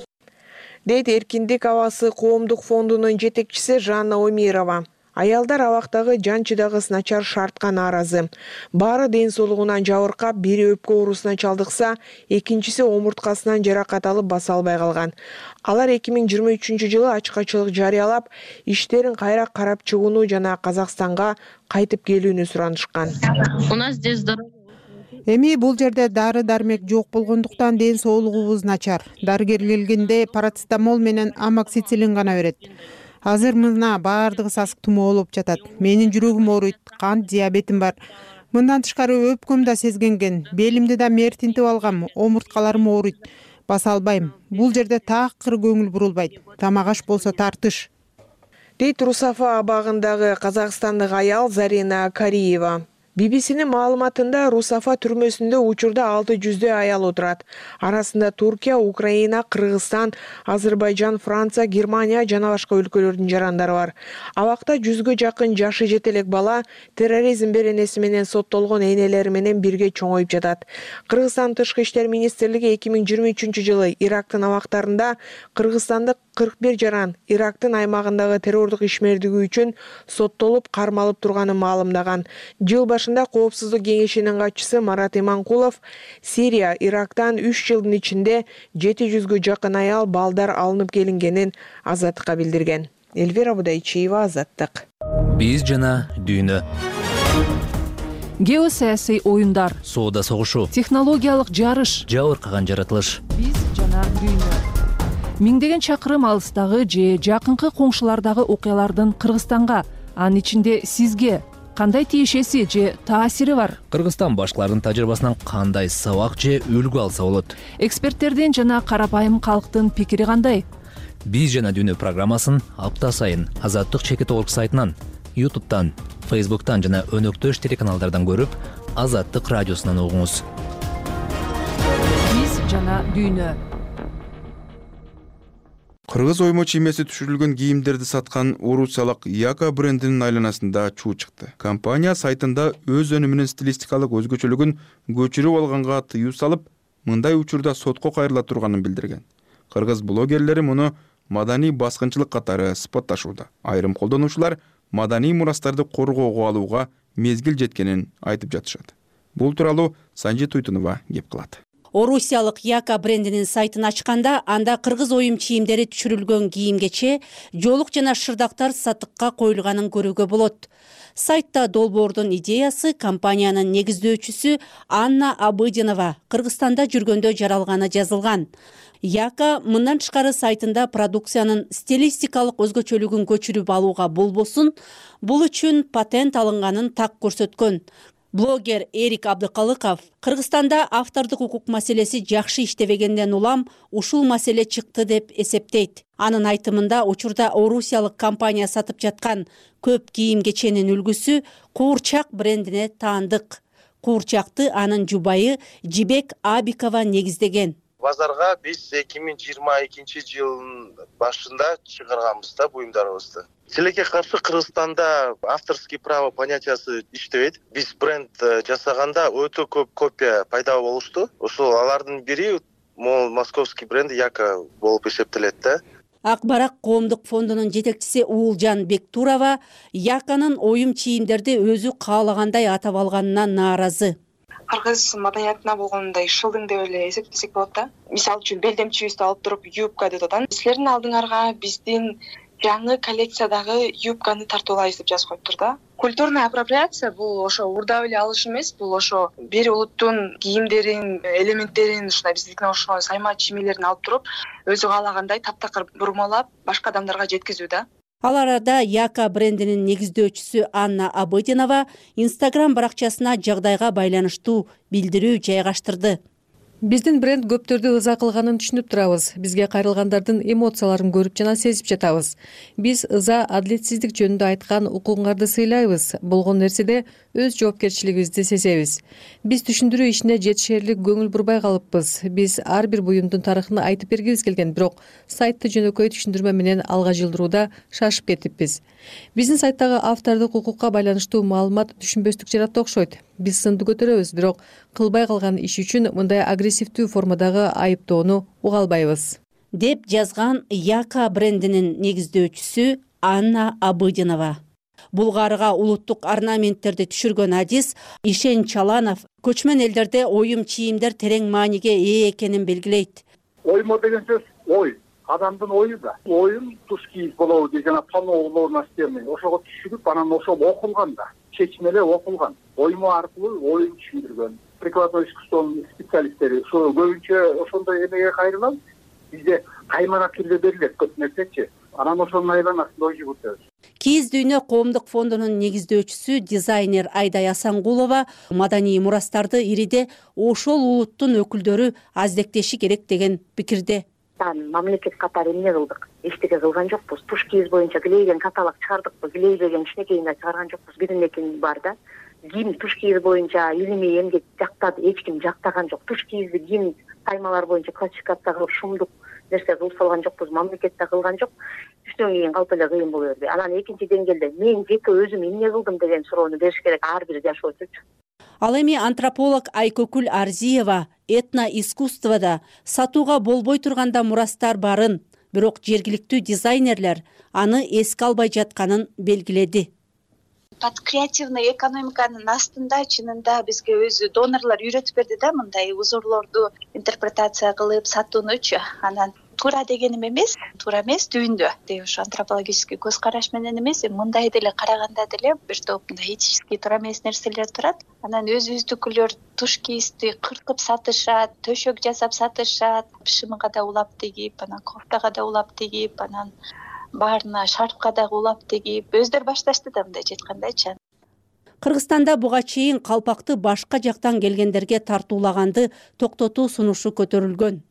Дейт Эркиндик абасы коомдук фондунун жетекчиси Жанна Омирова. Аялдар абактагы жан чыдагыс начар шартка нааразы. Баары ден соолугунан жабыркап, бири өпкө оорусуна чалдыкса, экинчиси омурткасынан жаракат алып баса албай калган. Алар эки миң жыйырма үчүнчү жылы ачкачылык жарыялап, иштерин кайра карап чыгууну жана Казакстанга кайтып келүүнү суранышкан. У нас здесь Эми бул жерде дары дармек жок болгондуктан ден соолугубуз начар. Дарыгер келгенде парацетамол менен амоксициллин гана берет. Азыр мына баардыгы сасык тумоо болуп жатат. Менин жүрөгүм ооруйт, кант диабетим бар. Мындан тышкары өпкөм да сезгенген, белимди да мертинтип алгам, омурткаларым ооруйт. Баса албайм. Бул жерде такыр көңүл бурулбайт. Тамак аш болсо тартыш. Дейт Русафа абагындагы казакстандык аял Зарина Кариева. би би синин маалыматында Русафа түрмөсүндө учурда алты жүздөй аял отурат. Арасында Туркия, Украина, Кыргызстан, Азербайжан, Франция, Германия жана башка өлкөлөрдүн жарандары бар. Абакта жүзгө жакын жашы жете элек бала терроризм беренеси менен соттолгон энелери менен бирге чоңоюп жатат. Кыргызстан тышкы иштер министрлиги эки миң жыйырма үчүнчү жылы Ирактын абактарында кыргызстандык кырк бир жаран Ирактын аймагындагы террордук ишмердиги үчүн соттолуп кармалып турганын маалымдаган. Жыл башында Коопсуздук кеңешинин катчысы Марат Иманкулов Сирия, Ирактан үч жылдын ичинде жети жүзгө жакын аял балдар алынып келингенин Азаттыкка билдирген. Элвира Будайчиева, Азаттык. Биз жана дүйнө. Геосаясий оюндар, соода согушу, технологиялык жарыш, жабыркаган жаратылыш. Биз жана дүйнө. Миңдеген чакырым алыстагы же жакынкы коңшулардагы окуялардын Кыргызстанга, анын ичинде сизге кандай тиешеси же таасири бар? Кыргызстан башкалардын тажрыйбасынан кандай сабак же үлгү алса болот? Эксперттердин жана карапайым калктын пикири кандай? Биз жана дүйнө программасын апта сайын Азаттык чекит орг сайтынан, ютубтан, фейсбуктан жана өнөктөш телеканалдардан көрүп, Азаттык радиосунан угуңуз. Биз жана дүйнө. Кыргыз оймо чиймеси түшүрүлгөн кийимдерди саткан орусиялык Яка брендинин айланасында чуу чыкты. Компания сайтында өз өнүмүнүн стилистикалык өзгөчөлүгүн көчүрүп алганга тыюу салып, мындай учурда сотко кайрыла турганын билдирген. Кыргыз блогерлери муну маданий баскынчылык катары сыпатташууда. Айрым колдонуучулар маданий мурастарды коргоого алууга мезгил жеткенин айтып жатышат. Бул тууралуу Санжи Туйтунова кеп кылат. Орусиялык Яка брендинин сайтын ачканда анда кыргыз оюм чийимдери түшүрүлгөн кийим-кече, жоолук жана шырдактар сатыкка коюлганын көрүүгө болот. Сайтта долбоордун идеясы компаниянын негиздөөчүсү Анна Абыдинова Кыргызстанда жүргөндө жаралганы жазылган. Яка мындан тышкары сайтында продукциянын стилистикалык өзгөчөлүгүн көчүрүп алууга болбосун, бул үчүн патент алынганын так көрсөткөн. Блогер Эрик Абдыкалыков Кыргызстанда автордук укук маселеси жакшы иштебегенден улам ушул маселе чыкты деп эсептейт. Анын айтымында учурда орусиялык компания сатып жаткан көп кийим-кеченин үлгүсү Куурчак брендине таандык. Куурчакты анын жубайы Жибек Абикова негиздеген. Базарга биз эки миң жыйырма экинчи жылдын башында чыгарганбыз да буюмдарыбызды. Тилекке каршы Кыргызстанда авторский право понятиясы иштебейт. Биз бренд жасаганда өтө көп копия пайда болушту. Ошол алардын бири могул московский бренд Яка болуп эсептелет да. Ак Барак коомдук фондунун жетекчиси Уулжан Бектурова Яканын оюм чийимдерди өзү каалагандай атап алганына нааразы. Кыргыз маданиятына болгондой шылдың деп эле эсептесек болот да. Мисалы үчүн белдемчибизди алып туруп юбка деп атат. Силердин алдыңарга биздин жаңы коллекциядагы юбканы тартуулайбыз деп жазып коюптур да. Культурная апроприация бул ошо урдап эле алыш эмес, бул ошо бир улуттун кийимдерин, элементтерин, ушундай биздикине ошо сайма чиймелерин алып туруп, өзү каалагандай таптакыр бурмалап башка адамдарга жеткизүү да. Ал арада Яка брендинин негиздөөчүсү Анна Абыдинова Instagram баракчасына жагдайга байланыштуу билдирүү жайгаштырды. Биздин бренд көптөрдү ыза кылганын түшүнүп турабыз. Бизге кайрылгандардын эмоцияларын көрүп жана сезип жатабыз. Биз ыза, адилетсиздик жөнүндө айткан укугуңарды сыйлайбыз. Болгон нерседе өз жоопкерчилигибизди сезебиз. Биз түшүндүрүү ишине жетишерлик көңүл бурбай калыппыз. Биз ар бир буюмдун тарыхын айтып бергибиз келген, бирок сайтты жөнөкөй түшүндүрмө менен алга жылдырууда шашып кетиппиз. Биздин сайттагы автордук укукка байланыштуу маалымат түшүнбөстүк жаратты окшойт. Биз сынды көтөрөбүз, бирок кылбай калган иш үчүн мындай агрессивдүү формадагы айыптоону уга албайбыз, деп жазган Яка брендинин негиздөөчүсү Анна Абыдинова. Булгарыга улуттук орнаменттерди түшүргөн адис Ишен Чаланов көчмөн элдерде оюм чийимдер терең мааниге ээ экенин белгилейт. Оймо деген сөз ой, адамдын ою да. Оюм туш кийип болобу деген жана тоноо настроение ошого түшүрүп, анан ошол окулган да. Чечмеле окулган. Оймо аркылуу оюн түшүндүргөн. Прикладной искусствонун специалисттери ошо көбүнчө ошондой эмеге кайрылат. Бизде каймана түрдө берилет көп нерсечи. Анан ошонун айланасында ой жүгүртөбүз. Кийиз дүйнө коомдук фондунун негиздөөчүсү дизайнер Айдай Асангулова маданий мурастарды ириде ошол улуттун өкүлдөрү аздектеши керек деген пикирде. Мамлекет катары эмне кылдык? Эчтеке кылган жокпуз. Туш кийиз боюнча килейген каталог чыгардыкпы, килейбеген кичинекейине чыгарган жокпуз. Биринекин бар да. Кийим туш кийиз боюнча илимий эмгек жактады, эч ким жактаган жок. Туш кийизди кийим таймалар боюнча классификация кылып шумдук нерсе кылып салган жокпуз, мамлекетте кылган жок. Түштөн кийин калп эле кыйын боло берди. Анан экинчи деңгээлде мен жеке өзүм эмне кылдым деген суроону бериш керек ар бир жашоочучу. Ал эми антрополог Айкөкүл Арзиева этно искусствода сатууга болбой турганда мурастар барын, бирок жергиликтүү дизайнерлер аны эске албай жатканын белгиледи. Под креативный экономиканын астында чынында бизге өзү донорлор үйрөтүп берди да, мындай узурлорду интерпретация кылып сатуунучу. Анан туура дегеним эмес, туура эмес түбүндө деп ушу антропологический көз караш менен эмес, мындай деле караганда деле бир топ мындай этически туура эмес нерселер турат. Анан өзүбүздүкүлөр туш кийизди кыркып сатышат, төшөк жасап сатышат, шымыга да улап тигип, анан кофтага да улап тигип, анан баарына шарфка дагы улап тигип өздөрү башташты да мындай айткандайчы. Кыргызстанда буга чейин калпакты башка жактан келгендерге тартуулаганды токтотуу сунушу көтөрүлгөн.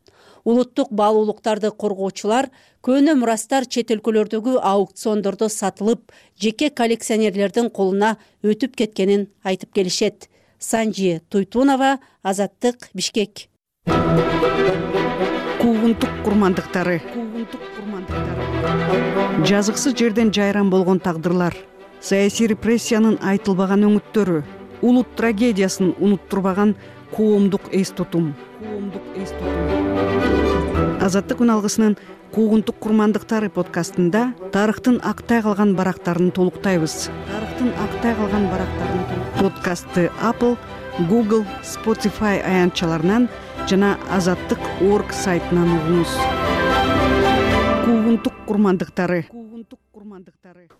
Улуттук баалуулуктарды коргоочулар көөнө мурастар чет өлкөлөрдөгү аукциондордо сатылып, жеке коллекционерлердин колуна өтүп кеткенин айтып келишет. Санжи Туйтунова, Азаттык, Бишкек. Куугунтук курмандыктары. Жазыксыз жерден жайран болгон тагдырлар, саясий репрессиянын айтылбаган өңүттөрү, улут трагедиясын унуттурбаган коомдук эс тутум. Азаттык үн алгысынын Куугунтук курмандыктары подкастында тарыхтын актай калган барактарын толуктайбыз. Тарыхтын актай калган барактарын подкастты Apple, Google, Spotify аянтчаларынан жана азаттык точка орг сайтынан угуңуз. Куугунтук курмандыктары.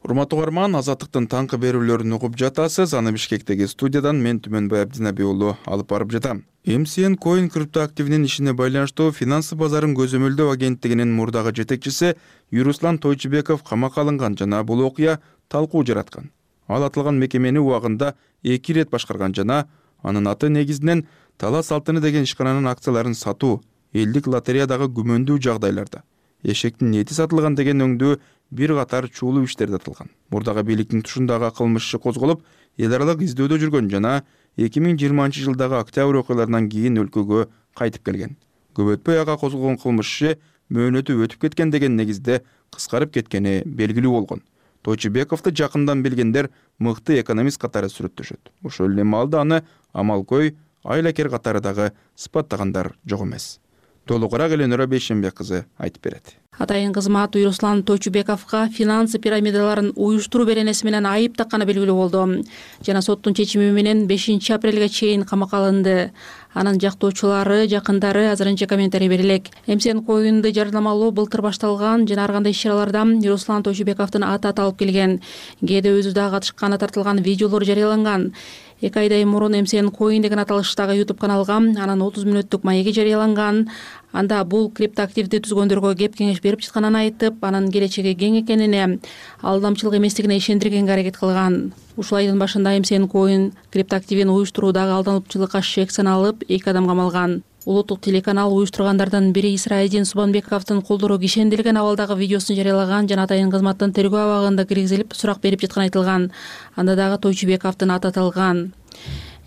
Урматтуу угарман, Азаттыктын таңкы берүүлөрүн угуп жатасыз. Аны Бишкектеги студиядан мен Түмөнбай Абдинаби уулу алып барып жатам. эм си эн Coin криптоактивинин ишине байланыштуу финансы базарын көзөмөлдөө агенттигинин мурдагы жетекчиси Юруслан Тойчубеков камакка алынган жана бул окуя талкуу жараткан. Ал аталган мекемени убагында эки ирет башкарган жана анын аты негизинен Талас Алтыны деген ишкананын акцияларын сатуу, элдик лотереядагы күмөндүү жагдайларда эшектин эти сатылган деген өңдүү бир катар чуулуу иштерде атылган. Мурдагы бийликтин тушундагы кылмыш иши козголуп, эл аралык издөөдө жүргөн жана эки миң жыйырманчы жылдагы октябрь окуяларынан кийин өлкөгө кайтып келген. көп өтпөй ага козголгон кылмыш иши мөөнөтү өтүп кеткен деген негизде кыскарып кеткени белгилүү болгон. Тойчубековду жакындан билгендер мыкты экономист катары сүрөттөшөт. Ошол эле маалда аны амалкой, айлакер катары дагы сыпаттагандар жок эмес. Толугураак Эленора Бейшенбек кызы айтып берет. Атайын кызмат Руслан Тойчубековго финансы пирамидаларын уюштуруу беренеси менен айып такканы белгилүү болду. Жана соттун чечими менен бешинчи апрелге чейин камакка алынды. Анын жактоочулары, жакындары азырынча комментарий берилек. эм си эн коюнду жарнамалоо былтыр башталган жана ар кандай иш-чараларда Руслан Тойчубековдун аты аталып келген. Кээде өзү да катышканы тартылган видеолор жарыяланган. Эки айдай мурун эм си эн коин деген аталыштагы YouTube каналга анын отуз мүнөттүк маеги жарыяланган. Анда бул криптоактивди түзгөндөргө кеп кеңеш берип жатканын айтып, анын келечеги кең экенине, алдамчылык эместигине ишендиргенге аракет кылган. Ушул айдын башында эм си эн коин криптоактивин уюштуруудагы алдамчылыкка шек саналып, эки адам камалган. Улуттук телеканал уюштургандардан бири Исраидин Субанбековдун колдору кишендирилген абалдагы видеосун жарыялаган жана атайын кызматтын тергөө абагында киргизилип сурак берип жатканы айтылган. Анда дагы Тойчубековдун аты аталган.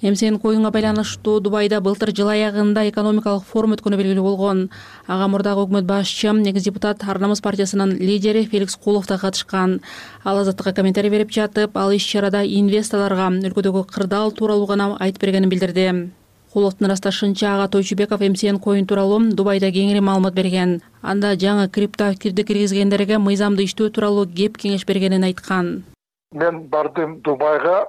эм си эн коюнга байланыштуу Дубайда былтыр жыл аягында экономикалык форум өткөнү белгилүү болгон. Ага мурдагы өкмөт башчы, экс депутат Ар намыс партиясынын лидери Феликс Кулов да катышкан. Ал Азаттыкка комментарий берип жатып, ал иш-чарада инвесторлорго өлкөдөгү кырдаал тууралуу гана айтып бергенин билдирди. Куловдун ырасташынча ага Тойчубеков эм си эн коин тууралуу Дубайда кеңири маалымат берген. Анда жаңы криптоактивди киргизгендерге мыйзамды иштөө тууралуу кеп кеңеш бергенин айткан. Мен бардым Дубайга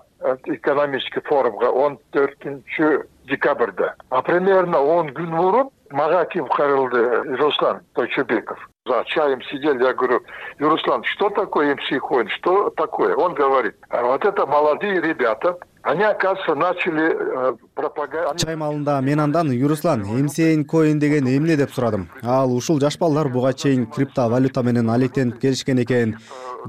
экономический форумга он төртүнчү декабрда. А примерно он күн мурун мага ким кайрылды? Руслан Тойчубеков. За чаем сидели, я говорю: Руслан, что такое эм си коин? Что такое? Он говорит: а вот это молодые ребята. Они, оказывается, начали пропаганда. Чай маалында мен андан: Руслан, эм си эн коин деген эмне деп сурадым. Ал: ушул жаш балдар буга чейин криптовалюта менен алектенип келишкен экен.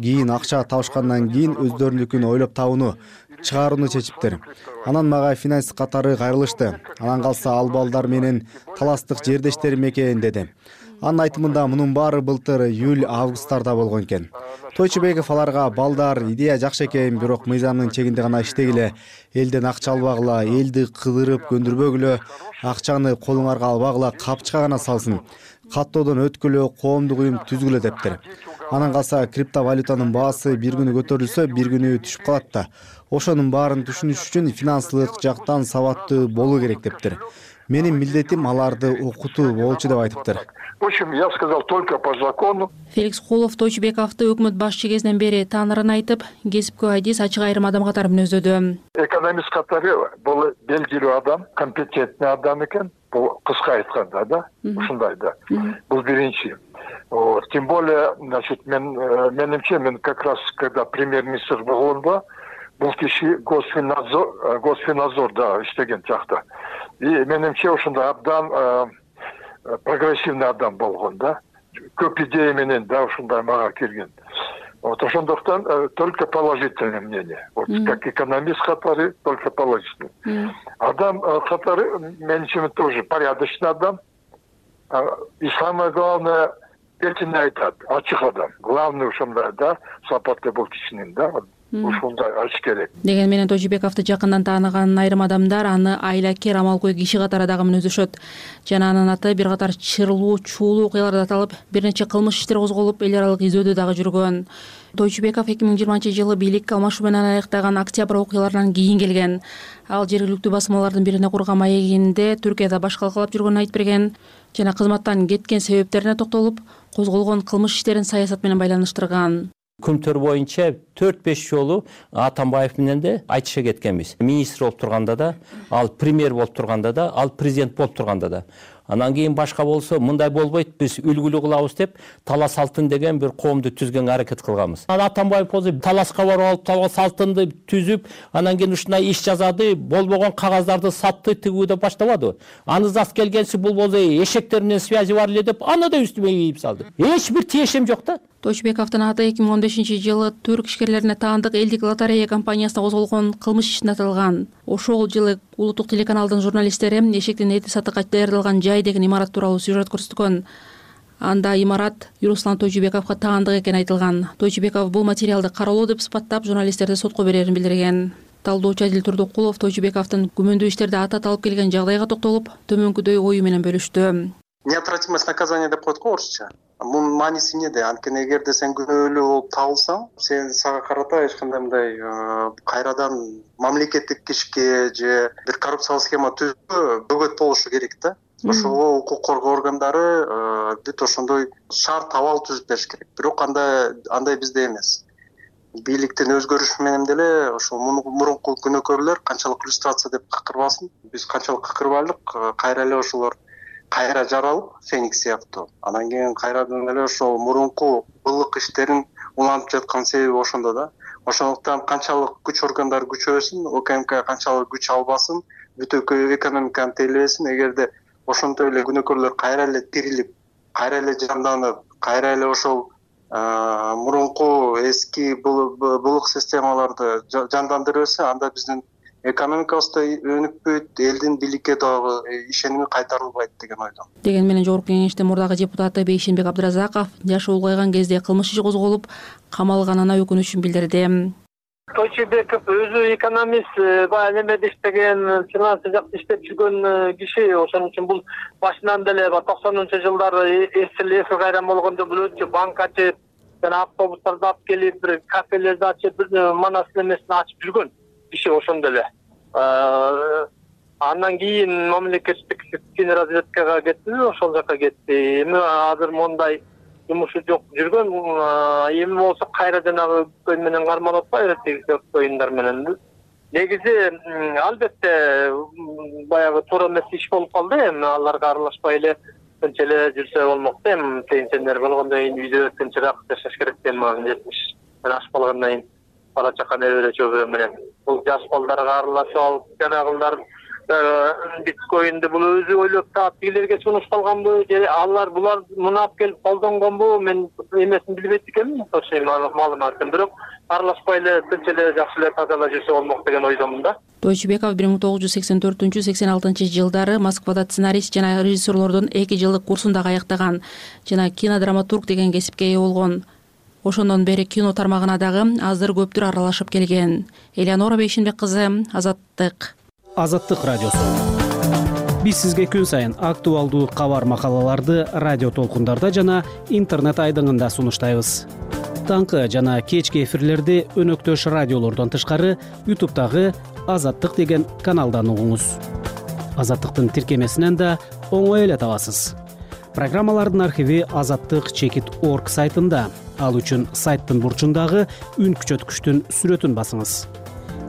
Кийин акча табышкандан кийин өздөрүнүкүн ойлоп табууну, чыгарууну чечиптир. Анан мага финансист катары кайрылышты. Анан калса ал балдар менен таластык жердештерим экен деди. Анын айтымында мунун баары былтыр июль августтарда болгон экен. Тойчубеков аларга: балдар, идея жакшы экен, бирок мыйзамдын чегинде гана иштегиле, элден акча албагыла, элди кыдырып көндүрбөгүлө, акчаны колуңарга албагыла, капчыга гана салсын, каттоодон өткүлө, коомдук уюм түзгүлө дептир. Анан калса криптовалютанын баасы бир күнү көтөрүлсө, бир күнү түшүп калат да. Ошонун баарын түшүнүш үчүн финансылык жактан сабаттуу болуу керек дептир. Менин милдетим аларды окутуу болчу деп айтыптыр. В общем, я сказал только по закону. Феликс Кулов Тойчубековду өкмөт башчы кезинен бери таанырын айтып, кесипкө адис ачык айрым адам катары мүнөздөдү. Экономист катары бул белгилүү адам, компетентный адам экен. Бул кыска айтканда да, ушундай да. Бул биринчи. Тем более, значит, мен менимче, мен как раз когда премьер-министр болгондо, бул киши Госфиннадзор, Госфиннадзор да иштеген жакта. И менимче ушундай абдан прогрессивный адам болгон да. Көп идея менен да ушундай мага келген. Вот ошондуктан только положительное мнение. Вот как экономист катары только положительный. Адам катары менимче тоже порядочный адам. И самое главное, эркин айтат, ачык адам. Главный ушундай да, сапаты бул кишинин да. Ушундай ачык керек. Деген менен Тойчубековду жакындан тааныган айрым адамдар аны айлакер, амалкой киши катары дагы мүнөздөшөт. Жана анын аты бир катар чырлуу, чуулуу окуяларда аталып, бир нече кылмыш иштер козголуп, эл аралык изөөдө дагы жүргөн. Тойчубеков эки миң жыйырманчы жылы бийлик алмашуу менен аяктаган октябрь окуяларынан кийин келген. Ал жергиликтүү басмалардын бирине курган маегинде Түркияда баш калкалап жүргөнүн айтып берген жана кызматтан кеткен себептерине токтолуп, козголгон кылмыш иштерин саясат менен байланыштырган. Күмтөр боюнча төрт беш жолу Атамбаев менен де айтыша кеткенбиз. Министр болуп турганда да, ал премьер болуп турганда да, ал президент болуп турганда да. Анан кийин башка болсо мындай болбойт, биз үлгүлүү кылабыз деп талас алтын деген бир коомду түзгөнгө аракет кылганбыз. Атамбаев болсо таласка барып алып, талас алтынды түзүп, анан кийин ушундай иш жазады, болбогон кагаздарды сатты, тигүүдө баштабады. Аны зас келгенси бул болсо эшектер менен связи бар эле деп, аны да үстүмө ийип салды. Эч бир тиешем жок да. Тойчубековдун аты эки миң он бешинчи жылы түрк ишкерлерине таандык элдик лотерея компаниясына козголгон кылмыш ишине аталган. Ошол жылы улуттук телеканалдын журналисттери эшектин эти сатыкка даярдалган жай деген имарат тууралуу сюжет көрсөткөн. Анда имарат Руслан Тойчубековго таандык экени айтылган. Тойчубеков бул материалды каралоо деп сыпаттап журналисттерди сотко берерин билдирген. Талдоочу Адил Турдукулов Тойчубековдун күмөндүү иштерде аты аталып келген жагдайга токтолуп, төмөнкүдөй ою менен бөлүштү. неотвратимость наказания деп коет го орусча. Мунун мааниси эмнеде? Анткени эгерде сен күнөөлүү болуп табылсаң, сен сага карата эч кандай мындай кайрадан мамлекеттик ишке же бир коррупциялык схема түзүүгө бөгөт болушу керек да. Ошого укук коргоо органдары бүт ошондой шарт абал түзүп бериш керек. Бирок андай андай бизде эмес. Бийликтин өзгөрүшү менен деле ошол мурунку күнөөкөрлөр канчалык иллюстрация деп какырбасын, биз канчалык какырбайлык, кайра эле ошолор кайра жаралып Феникс сыяктуу. Анан кийин кайрадан эле ошол мурунку былык иштерин улантып жаткан себеби ошондо да. Ошондуктан канчалык күч органдары күчөбөсүн, ОКМК канчалык күч албасын, бүт экономиканы тейлебесин, эгерде ошонтип эле күнөөкөрлөр кайра эле тирилип, кайра эле жанданып, кайра эле ошол мурунку эски былык системаларды жандандыра берсе, анда биздин экономикабыз да өнүкпөйт, элдин бийликке дагы ишеними кайтарылбайт деген ойдомун. Деген менен Жогорку Кеңештин мурдагы депутаты Бейшенбек Абдыразаков жашы улгайган кезде кылмыш иши козголуп, камалганына өкүнүчүн билдирди. Тойчубеков өзү экономист, баягы немеде иштеген, финансы жакта иштеп жүргөн киши. Ошон үчүн бул башынан деле токсонунчу жылдары эсили кайран болгондо бул өтчү банк ачып, жана автобустарды алып келип, бир кафелерди ачып, бир манас немесин ачып жүргөн киши ошондо эле. Андан кийин мамлекеттик разведкага кетти, ошол жака кетти. Эми азыр мондай жумушу жок жүргөн, эми болсо кайра жанагы көй менен кармалып атпайбы, тиги оюндар менен. Негизи албетте баягы туура эмес иш болуп калды, эми аларга аралашпай эле тынч эле жүрсө болмок да. Эми пенсионер болгондон кийин үйдө тынчыраак жашаш керек да, эми жетимиш аш болгондон кийин бала чака небере чөбүрө менен бул жаш балдарга аралашып алып, жанагылар биткоинди бул өзү ойлоп таап тигилерге сунуш калганбы, же алар булар муну алып келип колдонгонбу, мен эмесин билбейт экенмин, точно маалыматын, бирок аралашпай эле тынч эле жакшы эле таза эле жүрсө болмок деген ойдомун да. Тойчубеков бир миң тогуз жүз сексен төртүнчү сексен алтынчы жылдары Москвада сценарист жана режиссерлордун эки жылдык курсун дагы аяктаган жана кинодраматург деген кесипке ээ болгон. Ошондон бери кино тармагына дагы азыр көптүр аралашып келген. Элеонора Бейшенбек кызы, Азаттык. Азаттык радиосу. Биз сизге күн сайын актуалдуу кабар макалаларды радио толкундарда жана интернет айдыңында сунуштайбыз. Таңкы жана кечки эфирлерди өнөктөш радиолордон тышкары ютубтагы Азаттык деген каналдан угуңуз. Азаттыктын тиркемесинен да оңой эле табасыз. Программалардын архиви азаттык чекит точка орг сайтында. Ал үчүн сайттын бурчундагы үн күчөткүчтүн сүрөтүн басыңыз.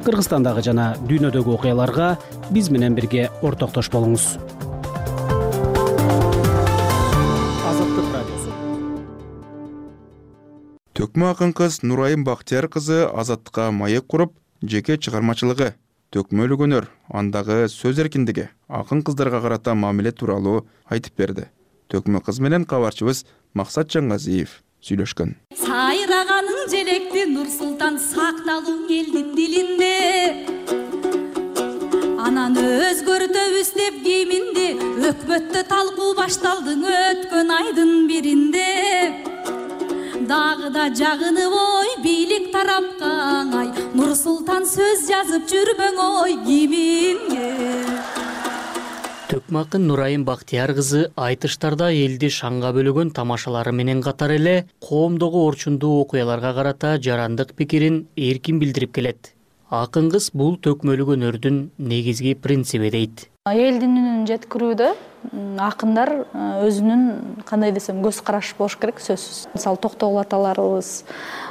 Кыргызстандагы жана дүйнөдөгү окуяларга биз менен бирге ортоктош болуңуз. Азаттык радиосу. Төкмө акын кыз Нурайым Бактияр кызы Азаттыкка маек куруп, жеке чыгармачылыгы, төкмөлүк өнөр, андагы сөз эркиндиги, акын кыздарга карата мамиле тууралуу айтып берди. Төкмө кыз менен кабарчыбыз Максат Жаңгазиев сүйлөшкөн. Сайраганың желекти Нур-Султан сакталуң элдин дилинде. Анан өзгөртөбүз деп кийиминди, өкмөттө талкуу башталды өткөн айдын биринде. Дагы да жагынып ой, бийлик тарапка аңай, Нур-Султан сөз жазып жүрбөң ой киминге. Төкмө акын Нурайым Бактияр кызы айтыштарда элди шаңга бөлөгөн тамашалары менен катар эле коомдогу орчундуу окуяларга карата жарандык пикирин эркин билдирип келет. Акын кыз бул төкмөлүк өнөрдүн негизги принциби дейт. Элдин үнүн жеткирүүдө акындар өзүнүн кандай десем көз карашы болуш керек, сөзсүз. Мисалы Токтогул аталарыбыз,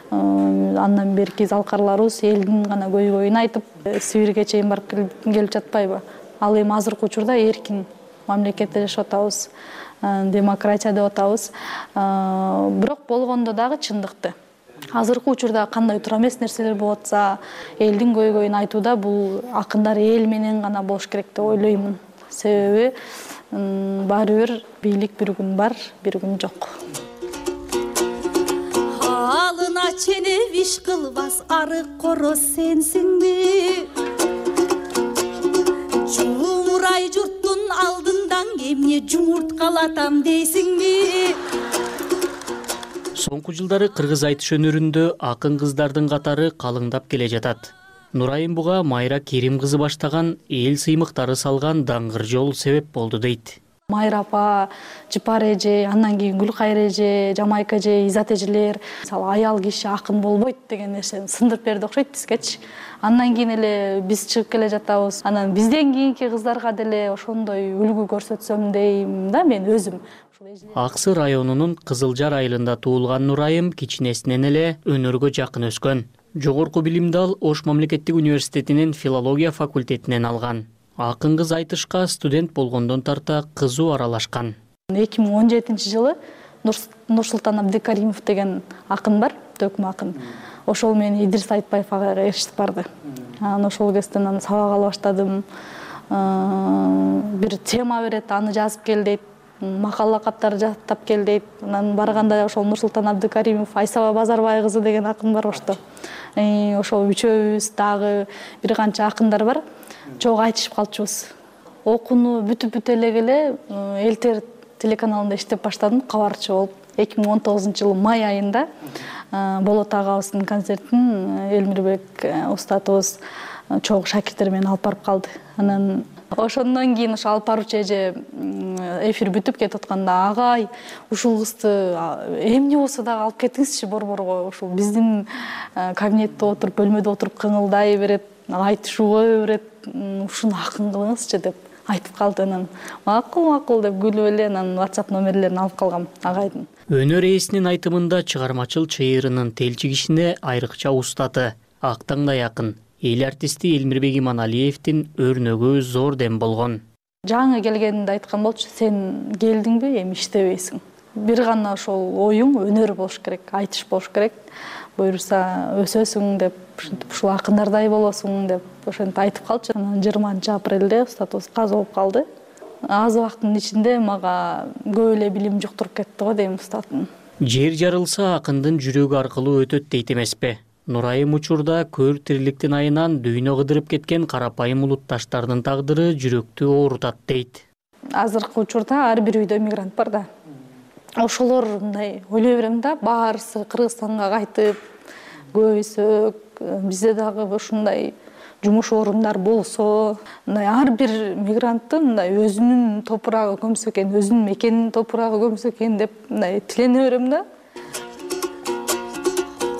андан берки залкарларыбыз элдин гана көйгөйүн айтып, Сибирге чейин барып келип жатпайбы? Ал эми азыркы учурда эркин мамлекетте жашап атабыз, демократия деп атабыз. Бирок болгондо дагы чындыкты. Азыркы учурда кандай туура эмес нерселер болуп атса, элдин көйгөйүн айтууда бул акындар эл менен гана болуш керек деп ойлоймун. Себеби баары бир бийлик бир күн бар, бир күн жок. Алына чене виш кылбас арык короз сенсиңби? Жумурай журттун алдындан эмне жумурткалатам дейсиңби? Соңку жылдары кыргыз айтыш өнөрүндө акын кыздардын катары калыңдап келе жатат. Нурайым буга Майра Керим кызы баштаган эл сыймыктары салган даңгыр жол себеп болду дейт. Майра апа, Жыпар эже, андан кийин Гүлкайыр эже, Жамайка эже, Изат эжелер мисалы аял киши акын болбойт деген нерсени сындырып берди окшойт бизгечи. Андан кийин эле биз чыгып келе жатабыз. Анан бизден кийинки кыздарга деле ошондой үлгү көрсөтсөм дейм да мен өзүм. Аксы районунун Кызылжар айылында туулган Нурайым кичинесинен эле өнөргө жакын өскөн. Жогорку билимди ал Ош мамлекеттик университетинин филология факультетинен алган. Акын кыз айтышка студент болгондон тарта кызуу аралашкан. эки миң он жетинчи жылы Нурсултан Абдыкаримов деген акын бар, төкмө акын. Ошол мени Идрис Айтбаев ага ээрчитип барды. Анан ошол кезден аны сабак ала баштадым. Бир тема берет, аны жазып кел дейт. Макала каптар жаттап кел дейт. Анан барганда ошол Нурсултан Абдыкаримов, Айсаба Базарбай кызы деген акын бар ошто. Ошол үчөөбүз дагы бир канча акындар бар. Чогуу айтышып калчубуз. Окууну бүтүп бүтө элек эле Элтер телеканалында иштеп баштадым, кабарчы болуп. эки миң он тогузунчу жылы май айында Болот агабыздын концертин Элмирбек устатыбыз чогуу шакирттер менен алып барып калды. Анан ошондон кийин ошо алып баруучу эже эфир бүтүп кетип атканда агай ушул кызды эмне болсо дагы алып кетиңизчи борборго. Ушул биздин кабинетте отуруп, бөлмөдө отуруп кыңылдай берет, айтышууга берет. Ушуну акын кылыңызчы деп айтып калды. Анан макул макул деп күлүп эле анан WhatsApp номерлерин алып калгам агайдын. Өнөр ээсинин айтымында чыгармачыл чыйырынын телчи кишине айрыкча устаты, актаңдай акын эл артисти Элмирбек Иманалиевдин өрнөгү зор дем болгон. Жаңы келгенинде айткан болчу, сен келдиңби, эми иштебейсиң. Бир гана ошол оюң өнөр болуш керек, айтыш болуш керек. Буюрса өсөсүң деп, ушинтип ушул акындардай болосуң деп ошентип айтып калчу. Анан жыйырманчы апрелде устатыбыз каза болуп калды. Аз убакыттын ичинде мага көп эле билим жуктуруп кетти го дейм устатым. Жер жарылса акындын жүрөгү аркылуу өтөт дейт эмеспи? Нурайым учурда көр тириликтин айынан дүйнө кыдырып кеткен карапайым улутташтардын тагдыры жүрөктү оорутат дейт. Азыркы учурда ар бир үйдө мигрант бар да. Ошолор мындай ойлой берем да, баарысы Кыргызстанга кайтып, көбүсү бизде дагы ушундай жумуш орундар болсо, мындай ар бир мигранттын мындай өзүнүн топурагы көмсө экен, өзүнүн мекенинин топурагы көмсө экен деп мындай тилене берем да.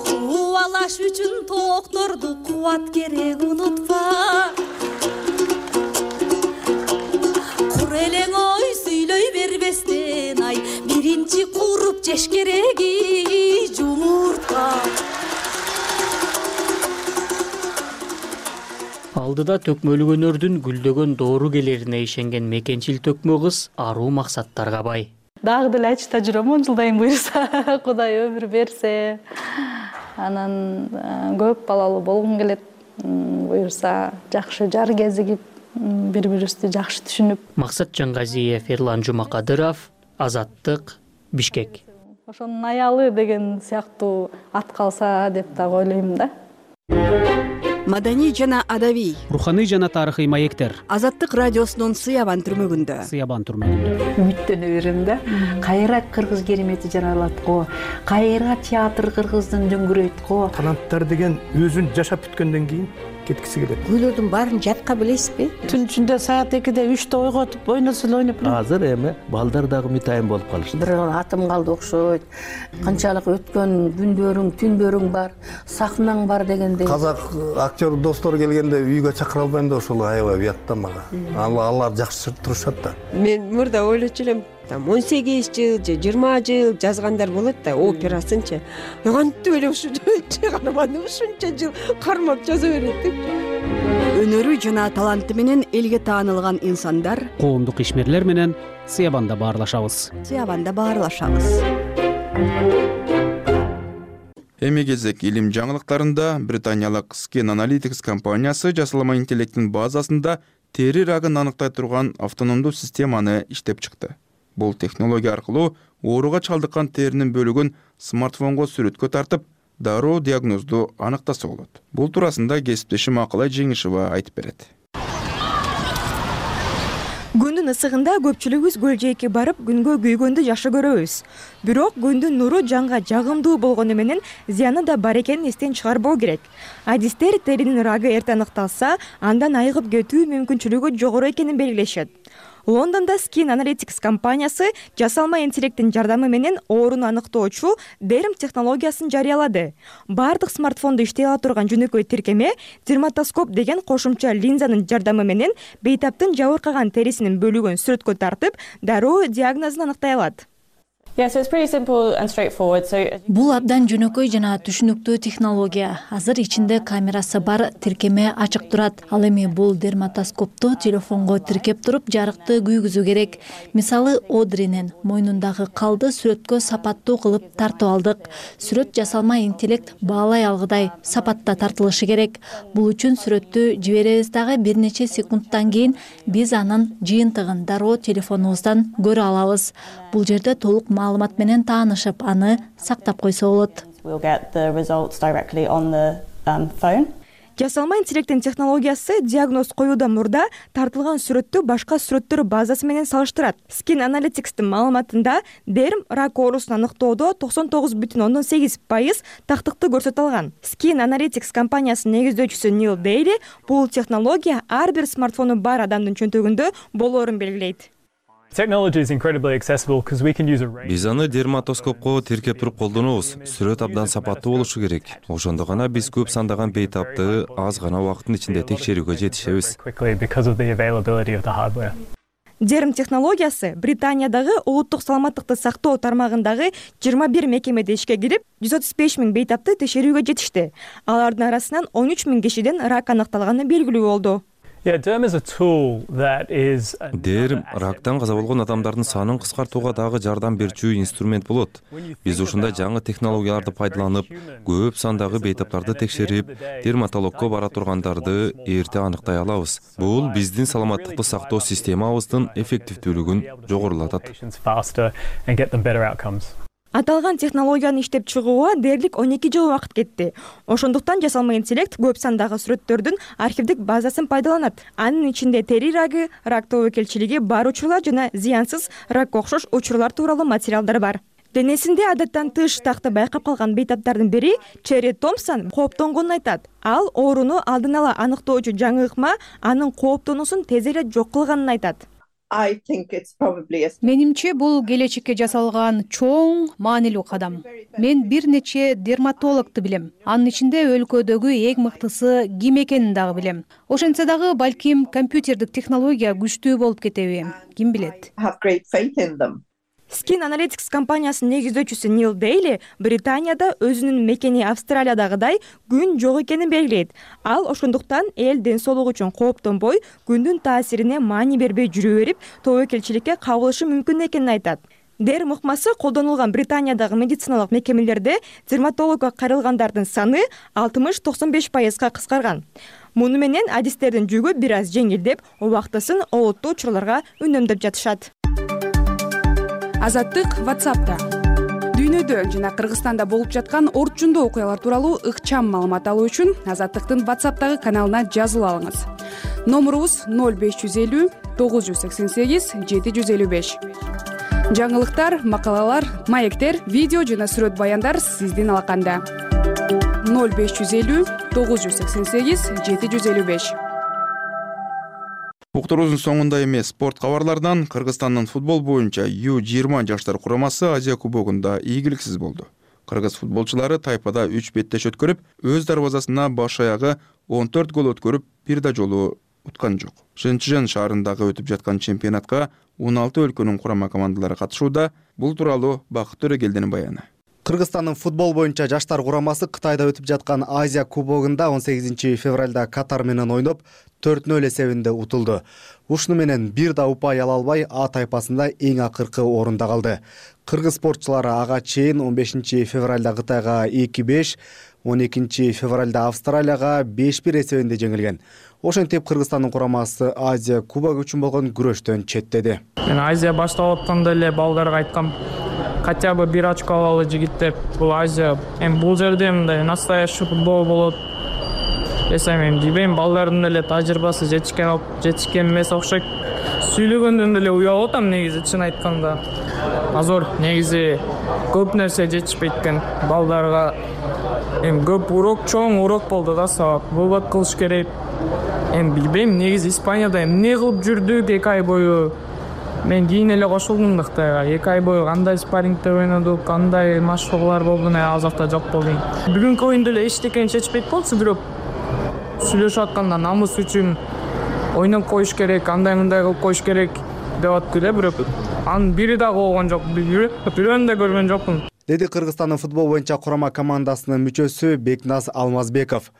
Кубалаш үчүн токторду кубат керек унутпа. Кур элең ой сүйлөй бербестен ай, биринчи куруп жеш кереги жумуртка. Алдыда төкмөлүк өнөрдүн гүлдөгөн доору келерине ишенген мекенчил төкмө кыз аруу максаттарга бай. Дагы деле айтышта жүрөм, он жылдайын буйрса, Кудай өмүр берсе. Анан көп балалуу болгум келет. Буйрса жакшы жар кезигип, бири-бирибизди жакшы түшүнүп. Максат Жангазиев, Эрлан Жумакадыров, Азаттык, Бишкек. Ошонун аялы деген сыяктуу ат калса деп дагы ойлойм да. Маданий жана адабий, руханий жана тарыхый маектер. Азаттык радиосунун Сыябан түрмөгүндө. Сыябан түрмөгүндө. Үмүттөнө берем да. Кайра кыргыз керемети жаралат го. Кайра театр кыргыздын дөңгүрөйт го. Таланттар деген өзүн жашап бүткөндөн кийин кеткиси келет. Күйлөрдүн баарын жатка билесизби? Түн ичинде саат экиде үчтө ойготуп ойносо эле ойноп. Азыр эми балдар дагы мытайын болуп калышты. Бир атым калды окшойт. Канчалык өткөн күндөрүң, түндөрүң бар, сахнаң бар дегендей. Казак актер достор келгенде үйгө чакыра албайм да ошол аябай уят да мага. Алар жакшы турушат да. Мен мурда ойлочу элем, там он сегиз жыл же жыйырма жыл жазгандар болот да, операсынчы. Кантип эле ушу чыгарманы ушунча жыл кармап жаза берет деп. Өнөрү жана таланты менен элге таанылган инсандар коомдук ишмерлер менен Сыябанда баарлашабыз. Сыябанда баарлашабыз. Эми кезек илим жаңылыктарында Британиялык Skin Analytics компаниясы жасалма интеллекттин базасында тери рагын аныктай турган автономдуу системаны иштеп чыкты. Бул технология аркылуу ооруга чалдыккан теринин бөлүгүн смартфонго сүрөткө тартып, дароо диагнозду аныктаса болот. Бул туурасында кесиптешим Акылай Жеңишева айтып берет. Күндүн ысыгында көпчүлүгүбүз көл жээкке барып, күнгө күйгөндү жакшы көрөбүз. Бирок күндүн нуру жанга жагымдуу болгону менен зыяны да бар экенин эстен чыгарбоо керек. Адистер теринин рагы эрте аныкталса, андан айыгып кетүү мүмкүнчүлүгү жогору экенин белгилешет. Лондондо Skin Analytics компаниясы жасалма интеллекттин жардамы менен ооруну аныктоочу Derm технологиясын жарыялады. Бардык смартфондо иштей ала турган жөнөкөй тиркеме дерматоскоп деген кошумча линзанын жардамы менен бейтаптын жабыркаган терисинин бөлүгүн сүрөткө тартып, дароо диагнозун аныктай алат. Бул абдан жөнөкөй жана түшүнүктүү технология. Азыр ичинде камерасы бар тиркеме ачык турат. Ал эми бул дерматоскопту телефонго тиркеп туруп жарыкты күйгүзүү керек. Мисалы, Одринин мойнундагы калды сүрөткө сапаттуу кылып тартып алдык. Сүрөт жасалма интеллект баалай алгыдай сапатта тартылышы керек. Бул үчүн сүрөттү жиберебиз дагы бир нече секундтан кийин биз анын жыйынтыгын дароо телефонубуздан көрө алабыз. Бул жерде толук маалымат менен таанышып, аны сактап койсо болот. Жасалма интеллекттин технологиясы диагноз коюудан мурда тартылган сүрөттү башка сүрөттөр базасы менен салыштырат. Skin Analytics'тин маалыматында Derm рак оорусун аныктоодо токсон тогуз бүтүн ондон сегиз пайыз тактыкты көрсөтө алган. Skin Analytics компаниясынын негиздөөчүсү Нил Дейли бул технология ар бир смартфону бар адамдын чөнтөгүндө болоорун белгилейт. Биз аны дерматоскопко тиркеп туруп колдонобуз. Сүрөт абдан сапаттуу болушу керек. Ошондо гана биз көп сандаган бейтапты аз гана убакыттын ичинде текшерүүгө жетишебиз. Derm технологиясы Британиядагы улуттук саламаттыкты сактоо тармагындагы жыйырма бир мекемеде ишке кирип, жүз отуз беш миң бейтапты текшерүүгө жетишти. Алардын арасынан он үч миң кишиден рак аныкталганы белгилүү болду. Derm рактан каза болгон адамдардын санын кыскартууга дагы жардам берүүчү инструмент болот. Биз ушундай жаңы технологияларды пайдаланып, көп сандагы бейтаптарды текшерип, дерматологко бара тургандарды эрте аныктай алабыз. Бул биздин саламаттыкты сактоо системабыздын эффективдүүлүгүн жогорулатат. Аталган технологияны иштеп чыгууга дээрлик он эки жыл убакыт кетти. Ошондуктан жасалма интеллект көп сандагы сүрөттөрдүн архивдик базасын пайдаланат. Анын ичинде тери рагы, рак тобокелчилиги бар учурлар жана зыянсыз ракка окшош учурлар тууралуу материалдар бар. Денесинде адаттан тыш такты байкап калган бейтаптардын бири Черри Томпсон кооптонгонун айтат. Ал ооруну алдын ала аныктоочу жаңы ыкма анын кооптонуусун тез эле жок кылганын айтат. Менимче бул келечекке жасалган чоң маанилүү кадам. Мен бир нече дерматологду билем. Анын ичинде өлкөдөгү эң мыктысы ким экенин дагы билем. Ошентсе дагы балким компьютердик технология күчтүү болуп кетеби, ким билет. Skin Analytics компаниясынын негиздөөчүсү Нил Дейли Британияда өзүнүн мекени Австралиядагыдай күн жок экенин белгилейт. Ал ошондуктан эл ден соолугу үчүн кооптонбой, күндүн таасирине маани бербей жүрө берип, тобокелчиликке кабылышы мүмкүн экенин айтат. Derm ыкмасы колдонулган Британиядагы медициналык мекемелерде дерматологго кайрылгандардын саны алтымыш токсон беш пайызга кыскарган. Муну менен адистердин жүгү бир аз жеңилдеп, убактысын олуттуу учурларга үнөмдөп жатышат. Азаттык WhatsApp'та. Дүйнөдө жана Кыргызстанда болуп жаткан орчундуу окуялар тууралуу ыкчам маалымат алуу үчүн Азаттыктын WhatsApp'тагы каналына жазылып алыңыз. Номурубуз ноль беш жүз элүү тогуз жүз сексен сегиз жети жүз элүү беш. Жаңылыктар, макалалар, маектер, видео жана сүрөт баяндар сиздин алаканда. ноль беш жүз элүү тогуз жүз сексен сегиз жети жүз элүү беш. Уктуруубуздун соңунда эмес спорт кабарларынан Кыргызстандын футбол боюнча ю жыйырма жаштар курамасы Азия кубогунда ийгиликсиз болду. Кыргыз футболчулары тайпада үч беттеш өткөрүп, өз дарбазасына баш аягы он төрт гол өткөрүп, бир да жолу уткан жок. Шэньчжэн шаарындагы өтүп жаткан чемпионатка он алты өлкөнүн курама командалары катышууда. Бул тууралуу Бакыт Төрөгелдинин баяны. Кыргызстандын футбол боюнча жаштар курамасы Кытайда өтүп жаткан Азия кубогунда он сегизинчи февралда Катар менен ойноп, төрт нөл эсебинде утулду. Ушуну менен бир да упай ала албай А тайпасында эң акыркы орунда калды. Кыргыз спортчулары ага чейин он бешинчи февралда Кытайга эки беш, он экинчи февралда Австралияга беш бир эсебинде жеңилген. Ошентип Кыргызстандын курамасы Азия кубогу үчүн болгон күрөштөн четтеди. Мен Азия башталып атканда эле балдарга айткам, хотя бы бир очко алалы жигиттер. Бул Азия, эми бул жерде мындай настоящий футбол болот. Эсем эми дибейм, балдардын эле тажрыйбасы жетишкен алып, жетишкен эмес окшойт. Сүйлөгөндөн эле уялып атам негизи, чын айтканда. Азыр негизи көп нерсе жетишпейт экен балдарга. Эми көп урок, чоң урок болду да сабак. Вывод кылыш керек. Эми билбейм, негизи Испанияда эмне кылып жүрдүк эки ай бою. мен кийин эле кошулдум да Кытайга. эки ай бою кандай спаррингде ойнодук, кандай машыгуулар болду, ал жакта жок болдум. Бүгүнкү оюнду эле эчтекени чечпейт болчу, бирок сүйлөшүп атканда намыс үчүн ойноп коюш керек, андай мындай кылып коюш керек деп атты эле, бирок анын бири дагы болгон жок. Бирөөнү да көргөн жокмун, деди Кыргызстандын футбол боюнча курама командасынын мүчөсү Бекназ Алмазбеков.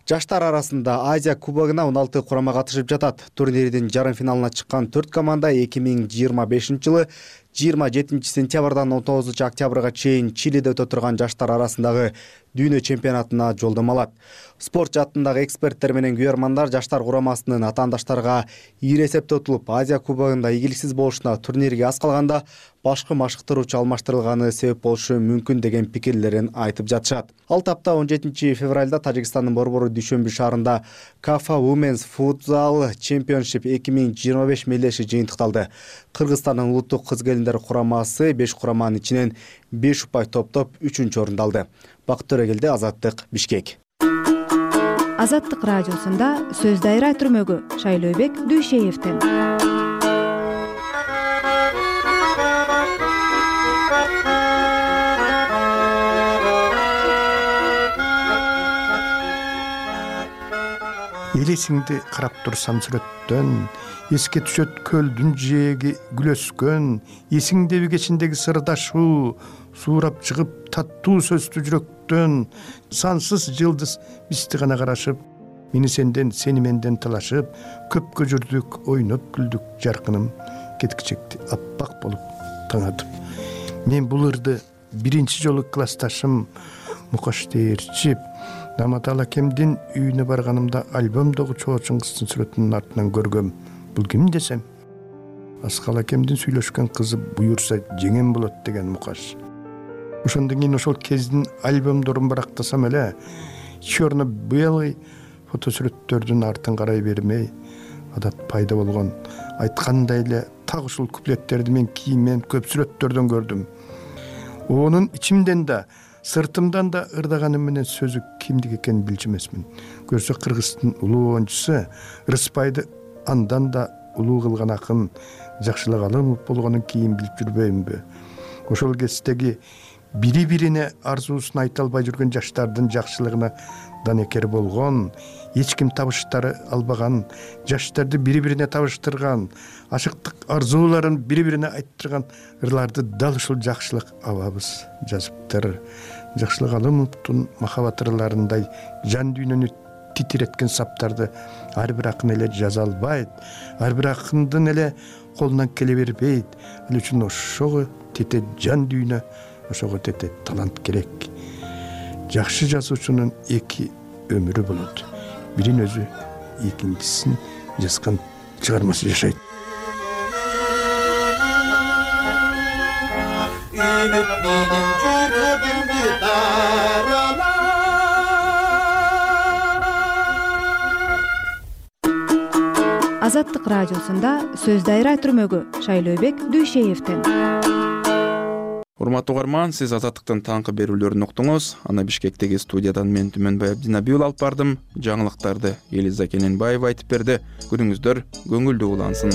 Жаштар арасында Азия кубогуна он алты курама катышып жатат. Турнирдин жарым финалына чыккан төрт команда эки миң жыйырма бешинчи жылы жыйырма жетинчи сентябрдан он тогузунчу октябрга чейин Чилиде өтө турган жаштар арасындагы дүйнө чемпионатына жолдомо алат. Спорт жаатындагы эксперттер менен күйөрмандар жаштар курамасынын атаандаштарга ийри эсепте утулуп, Азия кубогунда ийгиликсиз болушуна турнирге аз калганда башкы машыктыруучу алмаштырылганы себеп болушу мүмкүн деген пикирлерин айтып жатышат. Ал тапта он жетинчи февралда Тажикстандын борбору Дүйшөмбү шаарында Кафа Women's Futsal Championship эки миң жыйырма беш мелдеши жыйынтыкталды. Кыргызстандын улуттук кыз келиндер курамасы беш кураманын ичинен беш упай топтоп үчүнчү орунду алды. Бакыт Төрөгелди, Азаттык, Бишкек. Азаттык радиосунда сөз дайра түрмөгү Шайлообек Дүйшеевден. Элесиңди карап турсам сүрөттөн, эске түшөт көлдүн жээги гүл өскөн, эсиңдеби кечиндеги сырдашуу, суурап чыгып таттуу сөздү жүрөктөн, сансыз жылдыз бизди гана карашып, мени сенден, сени менден талашып, көпкө жүрдүк, ойноп күлдүк, жаркыным кеткичекти аппак болуп таңатып. Мен бул ырды биринчи жолу классташым Мукаш Дээрчип Наматал акемдин үйүнө барганымда альбомдогу чоочун кыздын сүрөтүнүн артынан көргөм. Бул ким десем, Аскал акемдин сүйлөшкөн кызы буюрса жеңем болот деген Мукаш. Ошондон кийин ошол кездин альбомдорун барактасам эле, черно-белый фотосүрөттөрдүн артын карай бермей, адат пайда болгон. Айткандай эле так ушул куплеттерди мен кийинмен көп сүрөттөрдөн көрдүм. Онун ичимден да, сыртымдан да ырдаганым менен сөзү кимдик экенин билчү эмесмин. Көрсө Кыргыздын улуу оюнчусу Рыспайды андан да улуу кылган акын Жакшылык Алымов болгонун кийин билип жүрбөймүнбү? Ошол кездеги бири-бирине арзуусун айта албай жүргөн жаштардын жакшылыгына данекер болгон, эч ким табыштары албаган, жаштарды бири-бирине табыштырган, ашыктык арзууларын бири-бирине айттырган ырларды дал ушул Жакшылык абабыз жазыптыр. Жакшылык Алымовдун махабат ырларындай жан дүйнөнү титиреткен саптарды ар бир акын эле жаза албайт, ар бир акындын эле колунан келе бербейт. Ал үчүн ошого тете жан дүйнө, ошого тете талант керек. Жакшы жазуучунун эки өмүрү болот. Бирин өзү, экинчисин жазган чыгармасы жашайт. Азаттык радиосунда сөз дайра түрмөгү Шайлообек Дүйшеевден. Урматтуу угарман, сиз Азаттыктын таңкы берүүлөрүн уктуңуз. Аны Бишкектеги студиядан мен Түмөнбай Абдинабиул алып бардым. Жаңылыктарды Элиза Кененбаева айтып берди. Күнүңүздөр көңүлдүү улансын.